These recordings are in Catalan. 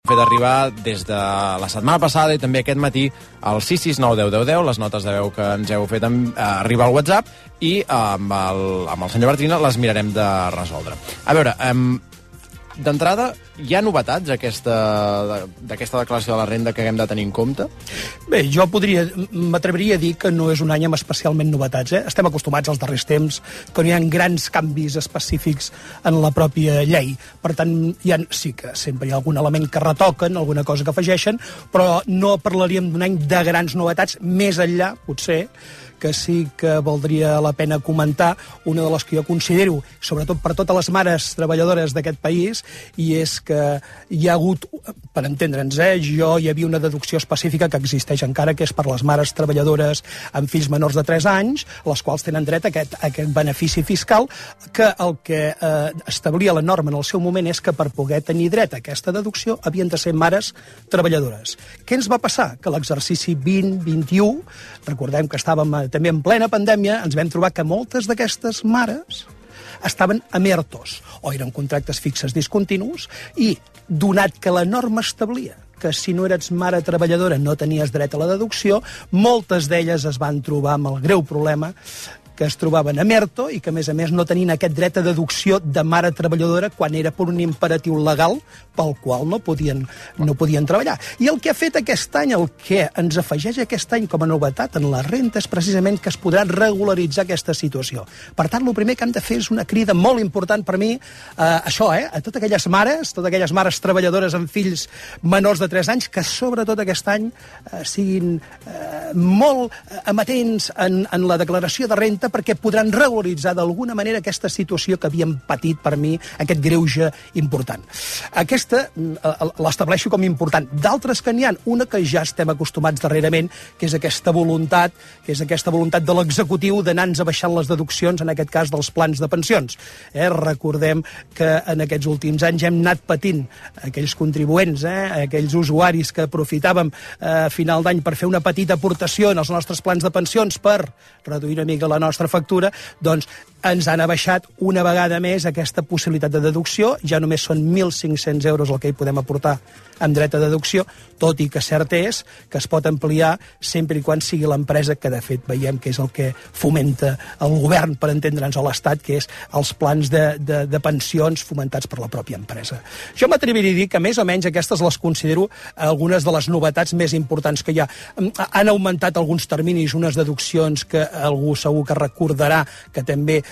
fet arribar des de la setmana passada i també aquest matí al 669 10 10 10, les notes de veu que ens heu fet arribar al WhatsApp, i amb el senyor Bartrina les mirarem de resoldre. A veure, d'entrada, hi ha novetats d'aquesta declaració de la renda que haguem de tenir en compte? Bé, jo m'atreviria a dir que no és un any amb especialment novetats. Estem acostumats als darrers temps que no hi ha grans canvis específics en la pròpia llei. Per tant, sí que sempre hi ha algun element que retoquen, alguna cosa que afegeixen, però no parlaríem d'un any de grans novetats, més enllà, potser, que sí que valdria la pena comentar una de les que jo considero, sobretot per totes les mares treballadores d'aquest país, i és que hi ha hagut, per entendre'ns, hi havia una deducció específica que existeix encara, que és per les mares treballadores amb fills menors de 3 anys, les quals tenen dret a aquest benefici fiscal, que el que establia la norma en el seu moment és que per poder tenir dret a aquesta deducció havien de ser mares treballadores. Què ens va passar? Que l'exercici 2021, recordem que estàvem també en plena pandèmia, ens vam trobar que moltes d'aquestes mares estaven amb ERTOs, o eren contractes fixes discontinus, i donat que la norma establia que si no eres mare treballadora no tenies dret a la deducció, moltes d'elles es van trobar amb el greu problema que es trobaven amb ERTO i que, a més, no tenien aquest dret a deducció de mare treballadora quan era per un imperatiu legal pel qual no podien treballar. I el que ha fet aquest any, el que ens afegeix aquest any com a novetat en la renta, és precisament que es podrà regularitzar aquesta situació. Per tant, el primer que hem de fer és una crida molt important per mi, a totes aquelles mares treballadores amb fills menors de 3 anys, que sobretot aquest any siguin molt amatents en la declaració de renta, perquè podran regularitzar d'alguna manera aquesta situació que havien patit, per mi, aquest greuge important. Aquesta l'estableixo com important. D'altres que n'hi ha, una que ja estem acostumats darrerament, que és aquesta voluntat de l'executiu d'anar-nos abaixant les deduccions, en aquest cas dels plans de pensions. Recordem que en aquests últims anys hem anat patint aquells contribuents, aquells usuaris que aprofitàvem a final d'any per fer una petita aportació en els nostres plans de pensions per reduir una mica la nostra factura, doncs ens han abaixat una vegada més aquesta possibilitat de deducció. Ja només són 1.500 euros el que hi podem aportar amb dret a deducció, tot i que cert és que es pot ampliar sempre i quan sigui l'empresa, que de fet veiem que és el que fomenta el govern, per entendre'ns, a l'Estat, que és els plans de pensions fomentats per la pròpia empresa. Jo m'atreviria a dir que més o menys aquestes les considero algunes de les novetats més importants que hi ha. Han augmentat alguns terminis, unes deduccions que algú segur que recordarà que també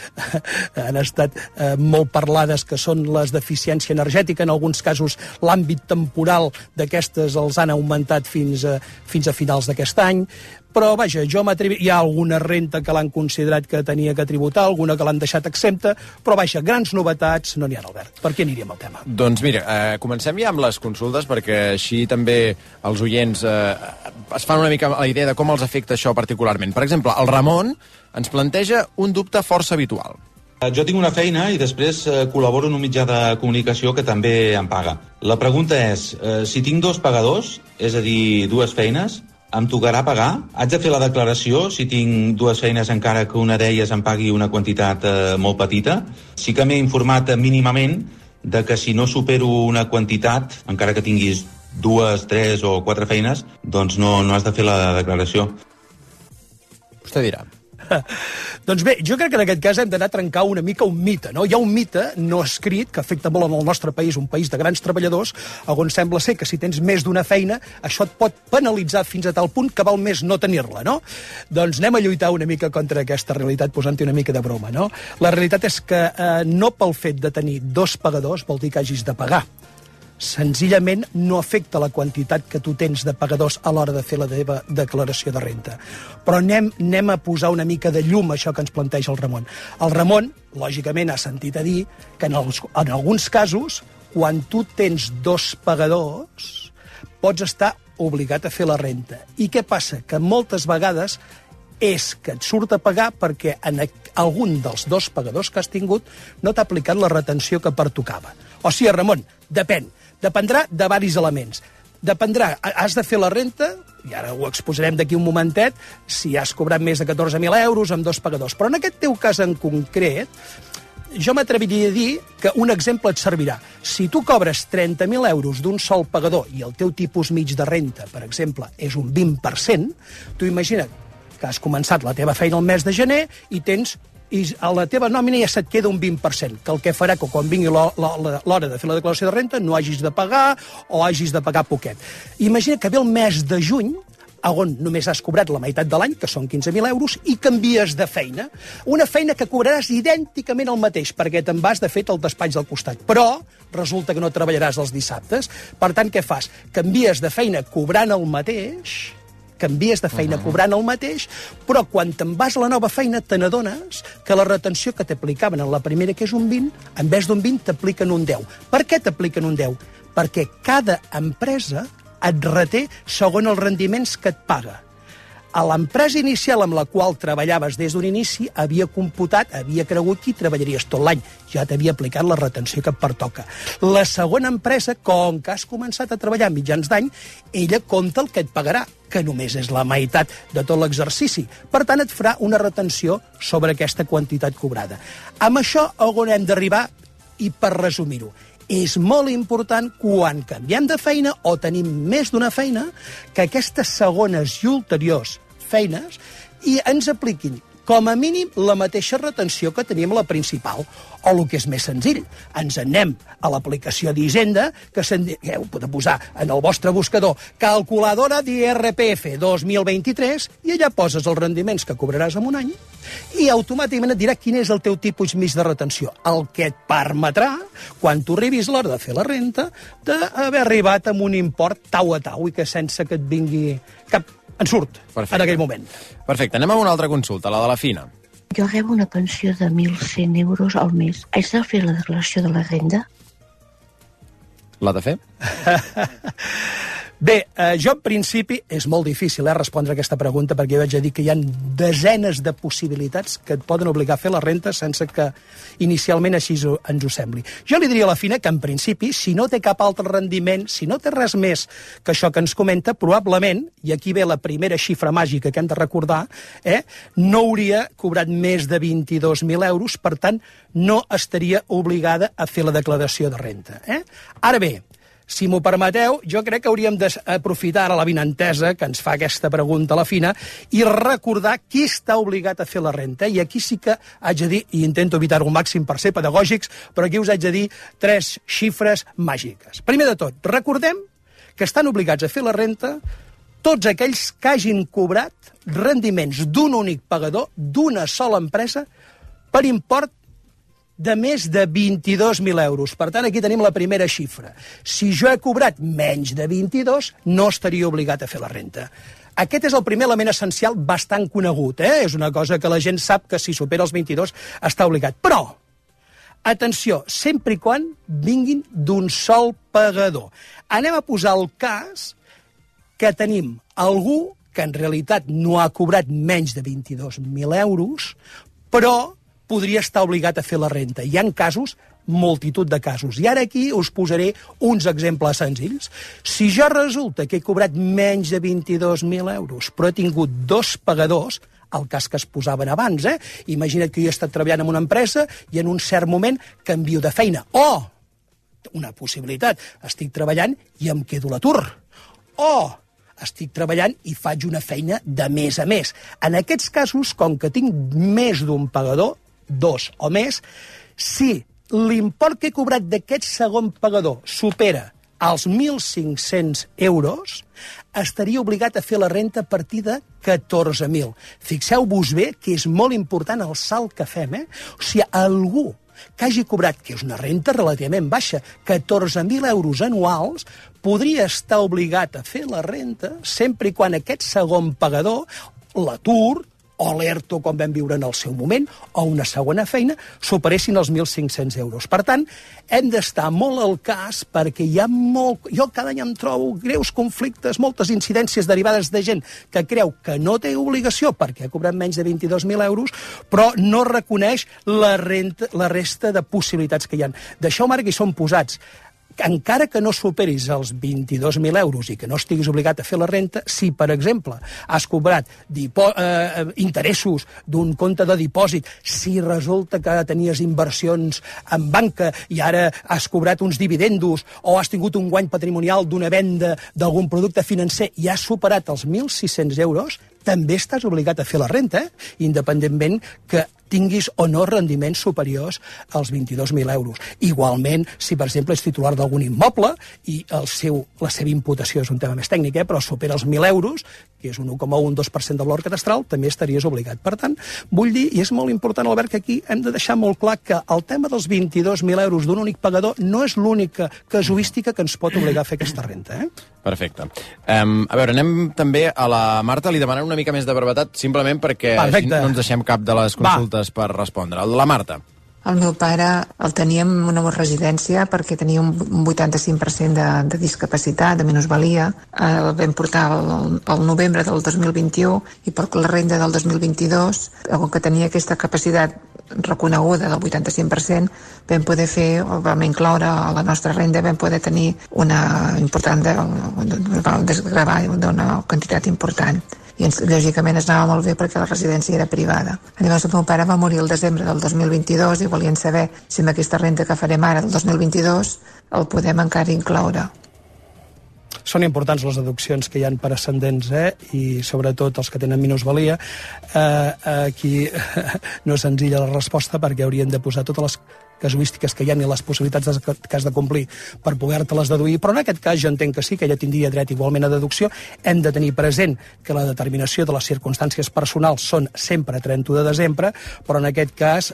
han estat molt parlades, que són les d'eficiència energètica. En alguns casos l'àmbit temporal d'aquestes els han augmentat fins a finals d'aquest any. Però, vaja, hi ha alguna renta que l'han considerat que tenia que tributar, alguna que l'han deixat exempta, però, vaja, grans novetats no n'hi ha, Albert. Per què aniríem al tema? Doncs mira, comencem ja amb les consultes, perquè així també els oients es fan una mica la idea de com els afecta això particularment. Per exemple, el Ramon ens planteja un dubte força habitual. Jo tinc una feina i després col·laboro en un mitjà de comunicació que també em paga. La pregunta és, si tinc 2 pagadors, és a dir, 2 feines, em tocarà pagar? Haig de fer la declaració si tinc 2 feines encara que una d'elles em pagui una quantitat molt petita? Sí que m'he informat mínimament de que si no supero una quantitat, encara que tinguis 2, 3 o 4 feines, doncs no has de fer la declaració. Vostè dirà. Doncs bé, jo crec que en aquest cas hem d'anar a trencar una mica un mite, no? Hi ha un mite no escrit que afecta molt en el nostre país, un país de grans treballadors, on sembla ser que si tens més d'una feina, això et pot penalitzar fins a tal punt que val més no tenir-la, no? Doncs anem a lluitar una mica contra aquesta realitat posant-hi una mica de broma, no? La realitat és que no pel fet de tenir 2 pagadors vol dir que hagis de pagar. Senzillament no afecta la quantitat que tu tens de pagadors a l'hora de fer la teva declaració de renta. Però anem a posar una mica de llum a això que ens planteja el Ramon. El Ramon, lògicament, ha sentit a dir que en alguns casos, quan tu tens 2 pagadors, pots estar obligat a fer la renta. I què passa? Que moltes vegades és que et surt a pagar perquè en algun dels 2 pagadors que has tingut no t'ha aplicat la retenció que pertocava. O sigui, Ramon, dependrà de diversos elements. Dependrà, has de fer la renta, i ara ho exposarem d'aquí un momentet, si has cobrat més de 14.000 euros amb 2 pagadors. Però en aquest teu cas en concret, jo m'atreviria a dir que un exemple et servirà. Si tu cobres 30.000 euros d'un sol pagador i el teu tipus mig de renta, per exemple, és un 20%, tu imagina't que has començat la teva feina el mes de gener i a la teva nòmina ja se't queda un 20%, que el que farà que quan vingui l'hora de fer la declaració de renta no hagis de pagar o hagis de pagar poquet. Imagina que ve el mes de juny, on només has cobrat la meitat de l'any, que són 15.000 euros, i canvies de feina. Una feina que cobraràs idènticament el mateix, perquè te'n vas, de fet, al despatx del costat. Però resulta que no treballaràs els dissabtes. Per tant, què fas? Canvies de feina cobrant el mateix, cobrant el mateix, però quan te'n vas a la nova feina te n'adones que la retenció que t'aplicaven en la primera, que és un 20, en vez d'un 20 t'apliquen un 10. Per què t'apliquen un 10? Perquè cada empresa et reté segons els rendiments que et paga. A l'empresa inicial amb la qual treballaves des d'un inici havia cregut que hi treballaries tot l'any. Ja t'havia aplicat la retenció que et pertoca. La segona empresa, com que has començat a treballar a mitjans d'any, ella compta el que et pagarà, que només és la meitat de tot l'exercici. Per tant, et farà una retenció sobre aquesta quantitat cobrada. Amb això, on hem d'arribar? I per resumir-ho, és molt important quan canviem de feina o tenim més d'una feina que aquestes segones i ulteriors feines i ens apliquin com a mínim la mateixa retenció que teníem a la principal. O el que és més senzill, ens anem a l'aplicació d'Hisenda, que heu de posar en el vostre buscador calculadora d'IRPF 2023 i allà poses els rendiments que cobraràs en un any i automàticament et dirà quin és el teu tipus mig de retenció, el que et permetrà, quan tu arribis l'hora de fer la renta, d'haver arribat amb un import tau a tau i que sense que et vingui cap ensurt en aquell moment. Perfecte, anem a una altra consulta, la de la Fina. Jo rebo una pensió de 1.100 euros al mes. Haig de fer la declaració de la renda? L'ha de fer? Bé, jo en principi és molt difícil respondre a aquesta pregunta perquè jo vaig a dir que hi ha desenes de possibilitats que et poden obligar a fer la renta sense que inicialment així ens ho sembli. Jo li diria a la Fina que en principi, si no té cap altre rendiment, si no té res més que això que ens comenta, probablement, i aquí ve la primera xifra màgica que hem de recordar, no hauria cobrat més de 22.000 euros, per tant, no estaria obligada a fer la declaració de renta. Ara bé, si m'ho permeteu, jo crec que hauríem d'aprofitar ara la vinentesa que ens fa aquesta pregunta a la Fina i recordar qui està obligat a fer la renta. I aquí sí que haig de dir, i intento evitar-ho al màxim per ser pedagògics, però aquí us haig de dir 3 xifres màgiques. Primer de tot, recordem que estan obligats a fer la renta tots aquells que hagin cobrat rendiments d'un únic pagador, d'una sola empresa, per import de més de 22.000 euros. Per tant, aquí tenim la primera xifra. Si jo he cobrat menys de 22, no estaria obligat a fer la renta. Aquest és el primer element essencial bastant conegut. És una cosa que la gent sap que si supera els 22 està obligat. Però, atenció, sempre i quan vinguin d'un sol pagador. Anem a posar el cas que tenim algú que en realitat no ha cobrat menys de 22.000 euros, però podria estar obligat a fer la renta. Hi ha casos, multitud de casos. I ara aquí us posaré uns exemples senzills. Si jo resulta que he cobrat menys de 22.000 euros, però he tingut 2 pagadors, el cas que es posaven abans, imagina't que jo he estat treballant en una empresa i en un cert moment canvio de feina. O, una possibilitat, estic treballant i em quedo a l'atur. O, estic treballant i faig una feina de mes a mes. En aquests casos, com que tinc més d'un pagador, 2 o més, si l'import que he cobrat d'aquest segon pagador supera els 1.500 euros, estaria obligat a fer la renta a partir de 14.000. Fixeu-vos bé que és molt important el salt que fem. O sigui, algú que hagi cobrat, que és una renta relativament baixa, 14.000 euros anuals, podria estar obligat a fer la renta sempre i quan aquest segon pagador, l'atur, o l'ERTO, com vam viure en el seu moment, o una segona feina, superessin els 1.500 euros. Per tant, hem d'estar molt al cas perquè hi ha molt... Jo cada any em trobo greus conflictes, moltes incidències derivades de gent que creu que no té obligació perquè ha cobrat menys de 22.000 euros, però no reconeix la resta de possibilitats que hi ha. D'això, Marc, hi són posats. encara que no superis els 22.000 euros i que no estiguis obligat a fer la renta, si, per exemple, has cobrat interessos d'un compte de dipòsit, si resulta que tenies inversions en banca i ara has cobrat uns dividendos o has tingut un guany patrimonial d'una venda d'algun producte financer i has superat els 1.600 euros, també estàs obligat a fer la renta, independentment que tinguis o no rendiments superiors als 22.000 euros. Igualment, si, per exemple, és titular d'algun immoble i la seva imputació és un tema més tècnic, però supera els 1.000 euros, que és un 1,12% de valor catastral, també estaries obligat. Per tant, vull dir, i és molt important, Albert, que aquí hem de deixar molt clar que el tema dels 22.000 euros d'un únic pagador no és l'única casuística que ens pot obligar a fer aquesta renta. Perfecte. A veure, anem també a la Marta, li demanem una mica més de brevetat, simplement perquè no ens deixem cap de les consultes per respondre. La Marta. El meu pare el tenia en una residència perquè tenia un 85% de discapacitat, de minusvalia. El vam portar al novembre del 2021 i per la renda del 2022, com que tenia aquesta capacitat reconeguda del 85%, vam incloure a la nostra renda, vam poder tenir una important desgravar d'una quantitat important. I lògicament es anava molt bé perquè la residència era privada. Llavors el meu pare va morir el desembre del 2022 i volien saber si amb aquesta renta que farem ara del 2022 el podem encara incloure. Són importants les deduccions que hi ha per ascendents, i sobretot els que tenen minusvalia. Aquí no és senzilla la resposta perquè haurien de posar totes les casuístiques que hi ha i les possibilitats que has de complir per poder-te-les deduir, però en aquest cas jo entenc que sí, que ella tindria dret igualment a deducció. Hem de tenir present que la determinació de les circumstàncies personals són sempre 31 de desembre, però en aquest cas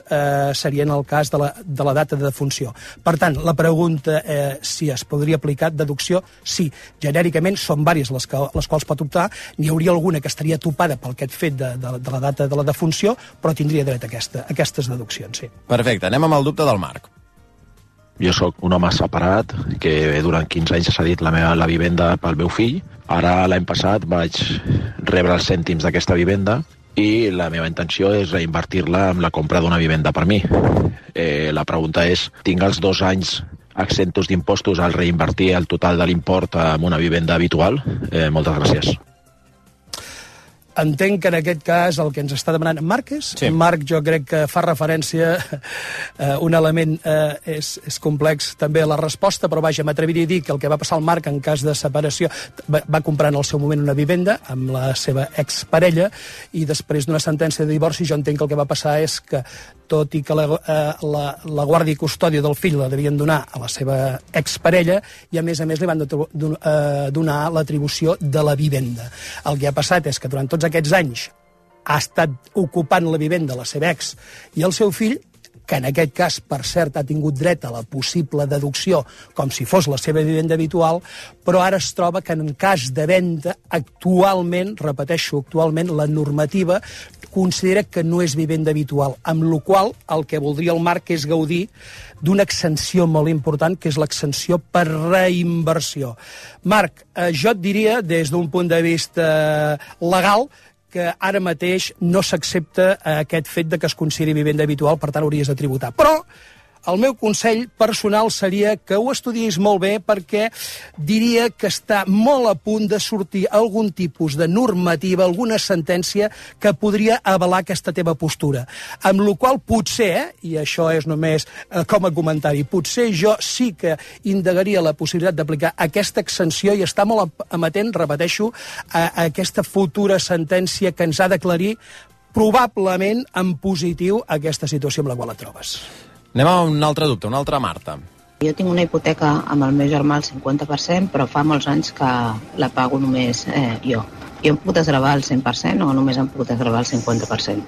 seria en el cas de la data de defunció. Per tant, la pregunta si es podria aplicar deducció, sí. Genèricament són diverses les quals pot optar, n'hi hauria alguna que estaria topada pel aquest fet de la data de la defunció, però tindria dret a aquestes deduccions, sí. Perfecte, anem amb el dubte del Marc. Jo sóc un home separat que durant 15 anys ha cedit la vivenda pel meu fill. Ara, l'any passat, vaig rebre els cèntims d'aquesta vivenda i la meva intenció és reinvertir-la en la compra d'una vivenda per mi. La pregunta és, tinc els 2 anys exentos d'impostos al reinvertir el total de l'import en una vivenda habitual? Moltes gràcies. Entenc que en aquest cas el que ens està demanant Marc és? Sí. Marc, jo crec que fa referència a un element és complex també la resposta, però vaja, m'atreviria a dir que el que va passar al Marc en cas de separació, va comprar en el seu moment una vivenda amb la seva exparella i després d'una sentència de divorci jo entenc que el que va passar és que tot i que la guàrdia i custòdia del fill la devien donar a la seva exparella i a més li van donar l'atribució de la vivenda. El que ha passat és que durant tots aquests anys ha estat ocupant la vivenda la seva ex i el seu fill, que en aquest cas, per cert, ha tingut dret a la possible deducció com si fos la seva vivenda habitual, però ara es troba que en cas de venda, actualment, la normativa considera que no és vivenda habitual, amb la qual el que voldria el Marc és gaudir d'una exenció molt important, que és l'exenció per reinversió. Marc, jo et diria, des d'un punt de vista legal, que ara mateix no s'accepta aquest fet de que es consideri vivenda habitual, per tant hauries de tributar. Però el meu consell personal seria que ho estudiïs molt bé perquè diria que està molt a punt de sortir algun tipus de normativa, alguna sentència que podria avalar aquesta teva postura. Amb la qual potser, i això és només com a comentari, potser jo sí que indagaria la possibilitat d'aplicar aquesta exenció i estar molt amatent, repeteixo, a aquesta futura sentència que ens ha d'aclarir probablement en positiu aquesta situació amb la qual et trobes. Anem a un altre dubte, una altra Marta. Jo tinc una hipoteca amb el meu germà al 50%, però fa molts anys que la pago només jo. Jo em puc desgravar el 100% o només em puc desgravar el 50%?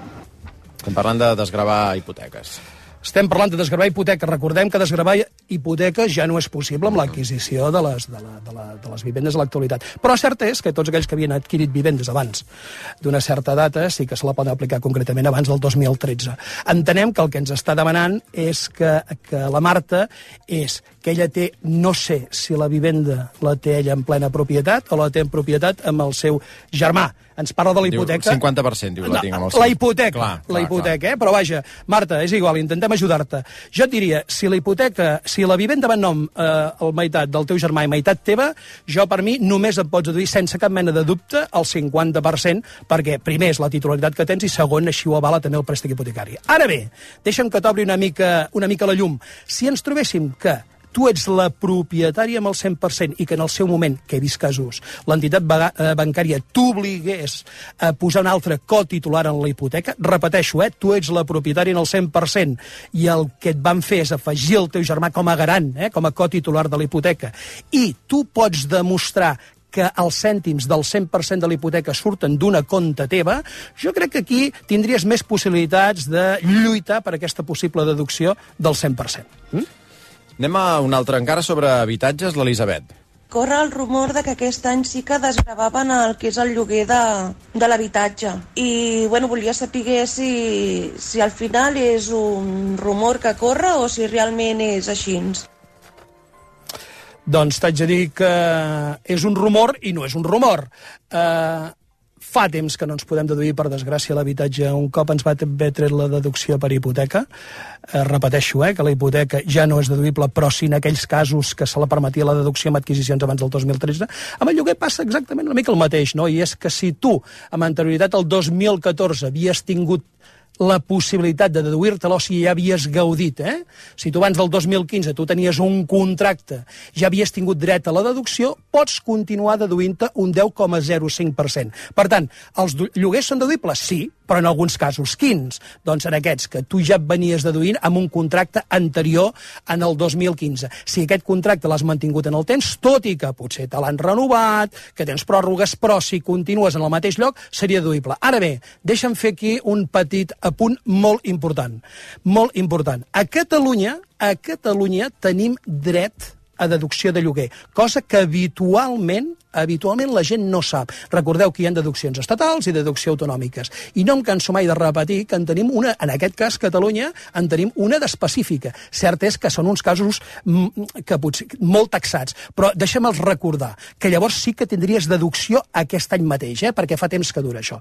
Estem parlant de desgravar hipoteques. Estem parlant de desgravar hipoteques. Recordem que desgravar hipoteques ja no és possible amb l'adquisició de les vivendes a l'actualitat. Però cert és que tots aquells que havien adquirit vivendes abans d'una certa data sí que se la poden aplicar concretament abans del 2013. Entenem que el que ens està demanant és que la Marta és que ella té, no sé si la vivenda la té ella en plena propietat o la té en propietat amb el seu germà. Ens parla de la hipoteca. Diu 50%, diu, la tinc amb el seu. La hipoteca, clar. Però vaja, Marta, és igual, intentem ajudar-te. Jo et diria, si la vivenda va en nom el meitat del teu germà i meitat teva, jo per mi només et pots deduir sense cap mena de dubte el 50%, perquè primer és la titularitat que tens i segon així ho avala també el préstec hipotecari. Ara bé, deixa'm que t'obri una mica la llum. Si ens trobéssim que tu ets la propietària amb el 100% i que en el seu moment, que he vist casos, l'entitat bancària t'obligués a posar un altre cotitular en la hipoteca, repeteixo, tu ets la propietària en el 100% i el que et van fer és afegir el teu germà com a garant, com a cotitular de la hipoteca, i tu pots demostrar que els cèntims del 100% de la hipoteca surten d'una compte teva, jo crec que aquí tindries més possibilitats de lluitar per aquesta possible deducció del 100%. Anem a un altre encara sobre habitatges, l'Elisabet. Corre el rumor de que aquest any sí que desgravaven el que és el lloguer de l'habitatge. I, volia saber si al final és un rumor que corre o si realment és així. Doncs t'haig de dir que és un rumor i no és un rumor. Fa temps que no ens podem deduir, per desgràcia, l'habitatge. Un cop ens va haver tret la deducció per hipoteca. Repeteixo, que la hipoteca ja no és deduïble, però sí en aquells casos que se la permetia la deducció amb adquisicions abans del 2013. Amb el lloguer passa exactament una mica el mateix, no? I és que si tu, amb anterioritat al 2014, havies tingut la possibilitat de deduir-te-la, o si ja havies gaudit, si tu abans del 2015 tu tenies un contracte, ja havies tingut dret a la deducció, pots continuar deduint-te un 10,05%. Per tant, els lloguers són deduïbles? Sí, però en alguns casos. Quins? Doncs en aquests que tu ja venies deduint amb un contracte anterior en el 2015. Si aquest contracte l'has mantingut en el temps, tot i que potser te l'han renovat, que tens pròrrogues, però si continues en el mateix lloc, seria deduïble. Ara bé, deixa'm fer aquí un petit apunt molt important. Molt important. A Catalunya tenim dret a deducció de lloguer, cosa que habitualment la gent no sap. Recordeu que hi ha deduccions estatals i deduccions autonòmiques. I no em canso mai de repetir que en tenim una, en aquest cas Catalunya, en tenim una d'específica. Cert és que són uns casos que potser molt taxats, però deixa'm-els recordar que llavors sí que tindries deducció aquest any mateix, perquè fa temps que dura això.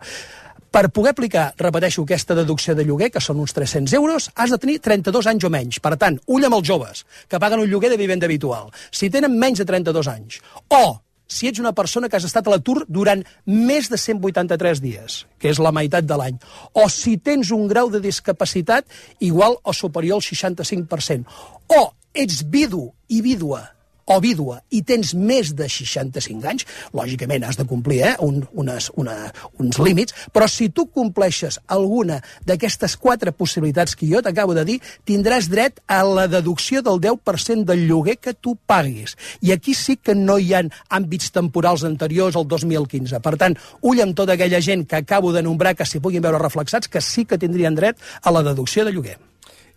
Per poder aplicar, repeteixo, aquesta deducció de lloguer, que són uns 300 euros, has de tenir 32 anys o menys. Per tant, ull amb els joves, que paguen un lloguer de vivenda habitual. Si tenen menys de 32 anys, o si ets una persona que has estat a l'atur durant més de 183 dies, que és la meitat de l'any, o si tens un grau de discapacitat igual o superior al 65%, o ets vidu i vídua o vídua i tens més de 65 anys, lògicament has de complir uns límits, però si tu compleixes alguna d'aquestes 4 possibilitats que jo t'acabo de dir, tindràs dret a la deducció del 10% del lloguer que tu paguis. I aquí sí que no hi ha àmbits temporals anteriors al 2015. Per tant, ull amb tota aquella gent que acabo de nombrar que s'hi puguin veure reflexats, que sí que tindrien dret a la deducció de lloguer.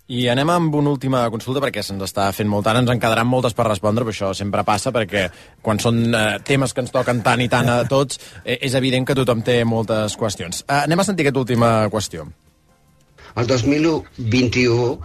I anem amb una última consulta, perquè se'ns està fent molt tant, ens en quedaran moltes per respondre, però això sempre passa, perquè quan són temes que ens toquen tant i tant a tots, és evident que tothom té moltes qüestions. Anem a sentir aquesta última qüestió. El 2021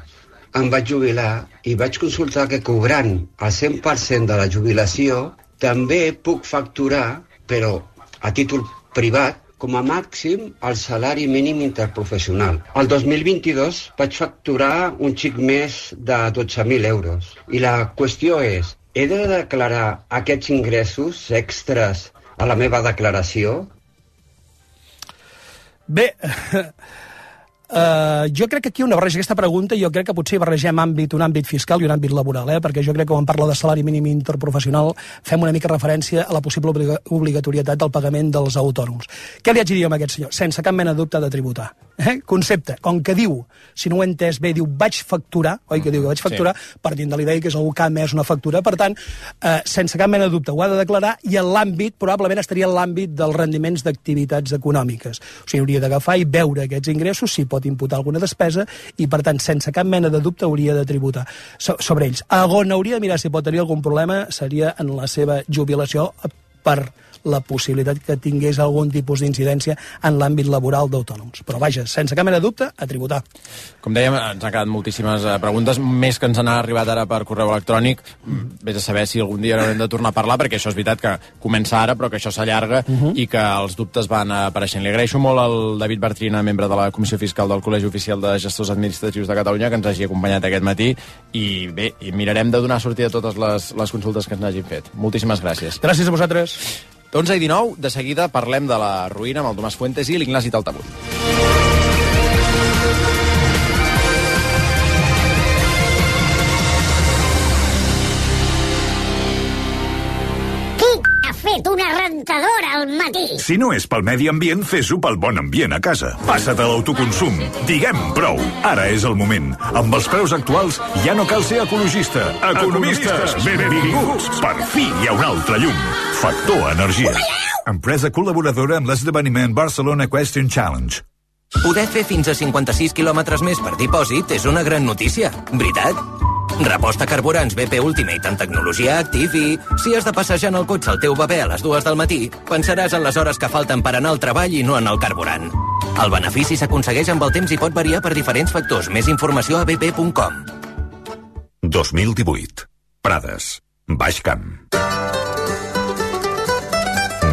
em vaig jubilar i vaig consultar que cobrant el 100% de la jubilació també puc facturar, però a títol privat, com a màxim el salari mínim interprofessional. El 2022 vaig facturar un xic més de 12.000 euros. I la qüestió és, he de declarar aquests ingressos extras a la meva declaració? Bé, jo crec que aquí una barreja aquesta pregunta, jo crec que potser barregem un àmbit fiscal i un àmbit laboral, perquè jo crec que quan parla de salari mínim interprofessional fem una mica referència a la possible obligatorietat del pagament dels autònoms. Què li haig de dir a aquest senyor? Sense cap mena de dubte de tributar. Concepte, com que diu, si no ho he entès bé, diu vaig facturar, oi que diu que vaig facturar, sí, partint de l'idea que és algú que ha emès una factura, per tant, sense cap mena de dubte ho ha de declarar, i en l'àmbit, probablement estaria en l'àmbit dels rendiments d'activitats econòmiques. O sigui, hauria d'agafar i veure aquests ingressos, si pot imputar alguna despesa, i per tant, sense cap mena de dubte hauria de tributar sobre ells. On hauria de mirar si pot tenir algun problema seria en la seva jubilació per la possibilitat que tingués algun tipus d'incidència en l'àmbit laboral d'autònoms. Però vaja, sense cap mena de dubte, a tributar. Com dèiem, ens han quedat moltíssimes preguntes, més que ens han arribat ara per correu electrònic. Vés a saber si algun dia haurem de tornar a parlar, perquè això és veritat que comença ara, però que això s'allarga i que els dubtes van apareixent. Li agraeixo molt al David Bartrina, membre de la Comissió Fiscal del Col·legi Oficial de Gestors Administratius de Catalunya, que ens hagi acompanyat aquest matí, i bé, mirarem de donar sortida a totes les consultes que ens hagin fet. Moltíssimes gràcies. Gràcies a vosaltres. 11:19, de seguida parlem de la ruïna amb el Tomàs Fuentes i l'Ignasi Taltabull. Fet una rentadora al matí. Si no és pel medi ambient, fes-ho pel bon ambient a casa. Passa't a l'autoconsum. Diguem prou. Ara és el moment. Amb els preus actuals ja no cal ser ecologista. Economistes, benvinguts. Per fi hi ha un altre llum. Factor Energia. Empresa col·laboradora amb l'esdeveniment Barcelona Question Challenge. Poder fer fins a 56 quilòmetres més per dipòsit és una gran notícia, veritat? Reposta carburants BP Ultimate en tecnologia Active i, si has de passejar en el cotxe al teu bebè a les 2 del matí, pensaràs en les hores que falten per anar al treball i no en el carburant. El benefici s'aconsegueix amb el temps i pot variar per diferents factors. Més informació a bp.com. 2018. Prades. Baix Camp.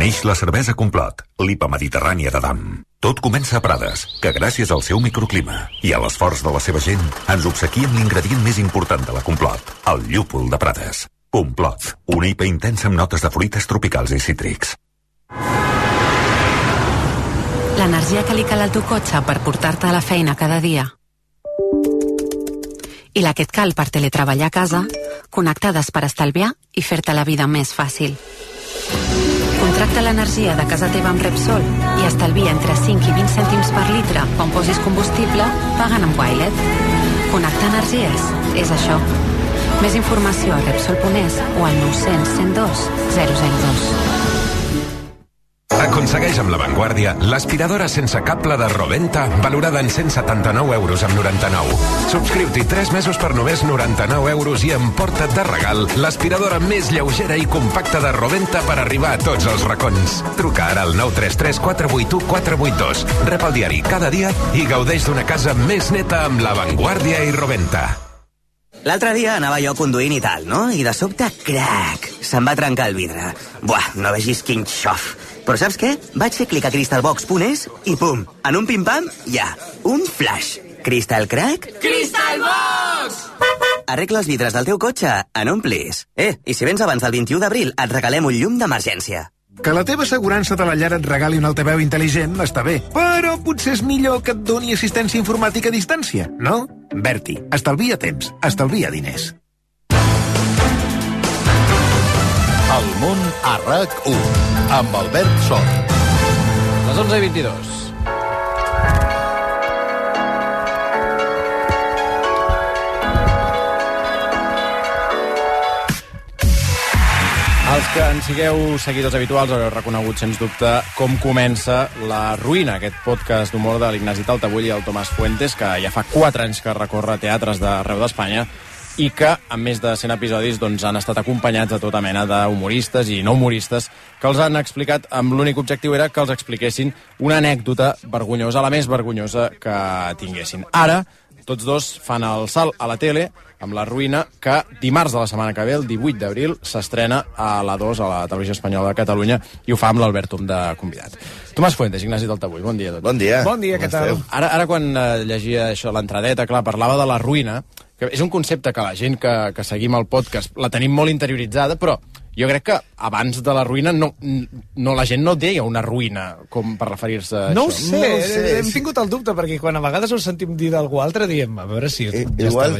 Neix la cervesa Complot, l'IPA mediterrània de Dam. Tot comença a Prades, que gràcies al seu microclima i a l'esforç de la seva gent ens obsequia amb l'ingredient més important de la Complot, el llúpol de Prades. Complot, una IPA intensa amb notes de fruites tropicals i cítrics. L'energia que li cal al teu cotxe per portar-te a la feina cada dia. I la que et cal per teletreballar a casa, connectades per estalviar i fer-te la vida més fàcil. Contracta l'energia de casa teva amb Repsol i estalvia entre 5 i 20 cèntims per litre quan posis combustible pagant amb Wilet. Connectar energies és això. Més informació a Repsol.es o al 900 102 002. Aconsegueix amb La Vanguardia l'aspiradora sense cable de Roventa valorada en 179 euros amb 99. Subscriu-t'hi 3 mesos per només 99 euros i emporta't de regal l'aspiradora més lleugera i compacta de Roventa per arribar a tots els racons. Truca ara al 933 481 482. Rep el diari cada dia i gaudeix d'una casa més neta amb La Vanguardia i Roventa. L'altre dia anava jo conduint i tal, no? I de sobte, crac, se'm va trencar el vidre. Buah, no vegis quin xof. Però saps què? Vaig fer clic a crystalbox.es i pum, en un pim-pam, ja, un flash. Crystal Crack? Crystalbox! Arregla els vidres del teu cotxe en un plis. I si vens abans del 21 d'abril, et regalem un llum d'emergència. Que la teva assegurança de la llar et regali un altaveu intel·ligent està bé, però potser és millor que et doni assistència informàtica a distància, no? Berti, estalvia temps, estalvia diners. El món a RAC1, amb Albert Sor. Les 11:22. Els que en sigueu seguidors habituals haureu reconegut, sens dubte, com comença La Ruïna, aquest podcast d'humor de l'Ignasi Taltabull i el Tomàs Fuentes, que ja fa 4 anys que recorre teatres d'arreu d'Espanya i que, amb més de 100 episodis, doncs, han estat acompanyats de tota mena d'humoristes i no humoristes que els han explicat, amb l'únic objectiu era que els expliquessin una anècdota vergonyosa, la més vergonyosa que tinguessin. Ara, tots dos fan el salt a la tele amb La Ruïna, que dimarts de la setmana que ve, el 18 d'abril, s'estrena a la 2, a la Televisió Espanyola de Catalunya, i ho fa amb l'Albert Tom de convidat. Tomàs Fuentes, Ignasi Taltabull, bon dia a tots. Bon dia. Bon dia, què tal? Ara quan llegia això, l'entradeta, clar, parlava de La Ruïna, que és un concepte que la gent que seguim el podcast la tenim molt interioritzada, però jo crec que abans de La Ruïna no la gent no deia una ruïna com per referir-se a no això. Ho sé, hem tingut el dubte, perquè quan a vegades ho sentim dir d'algú altre, diem, a veure si... Igual,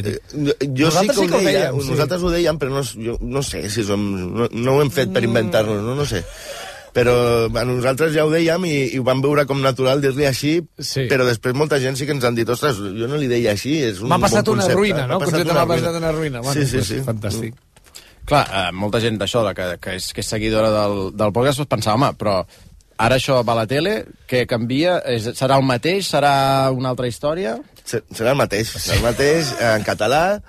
jo sí que ho deia, nosaltres ho dèiem, però no sé si som... No ho hem fet per inventar-nos, no sé. Però a nosaltres ja ho dèiem i ho vam veure com natural dir-li així, sí. Però després molta gent sí que ens han dit, ostres, jo no li deia així, és un bon concepte. M'ha passat una ruïna, no? M'ha passat una ruïna. Bueno, sí. Fantàstic. Clar, molta gent d'això, que és seguidora del podcast, pensava, home, però ara això va a la tele, què canvia? Serà el mateix? Serà una altra història? Serà el mateix, en català,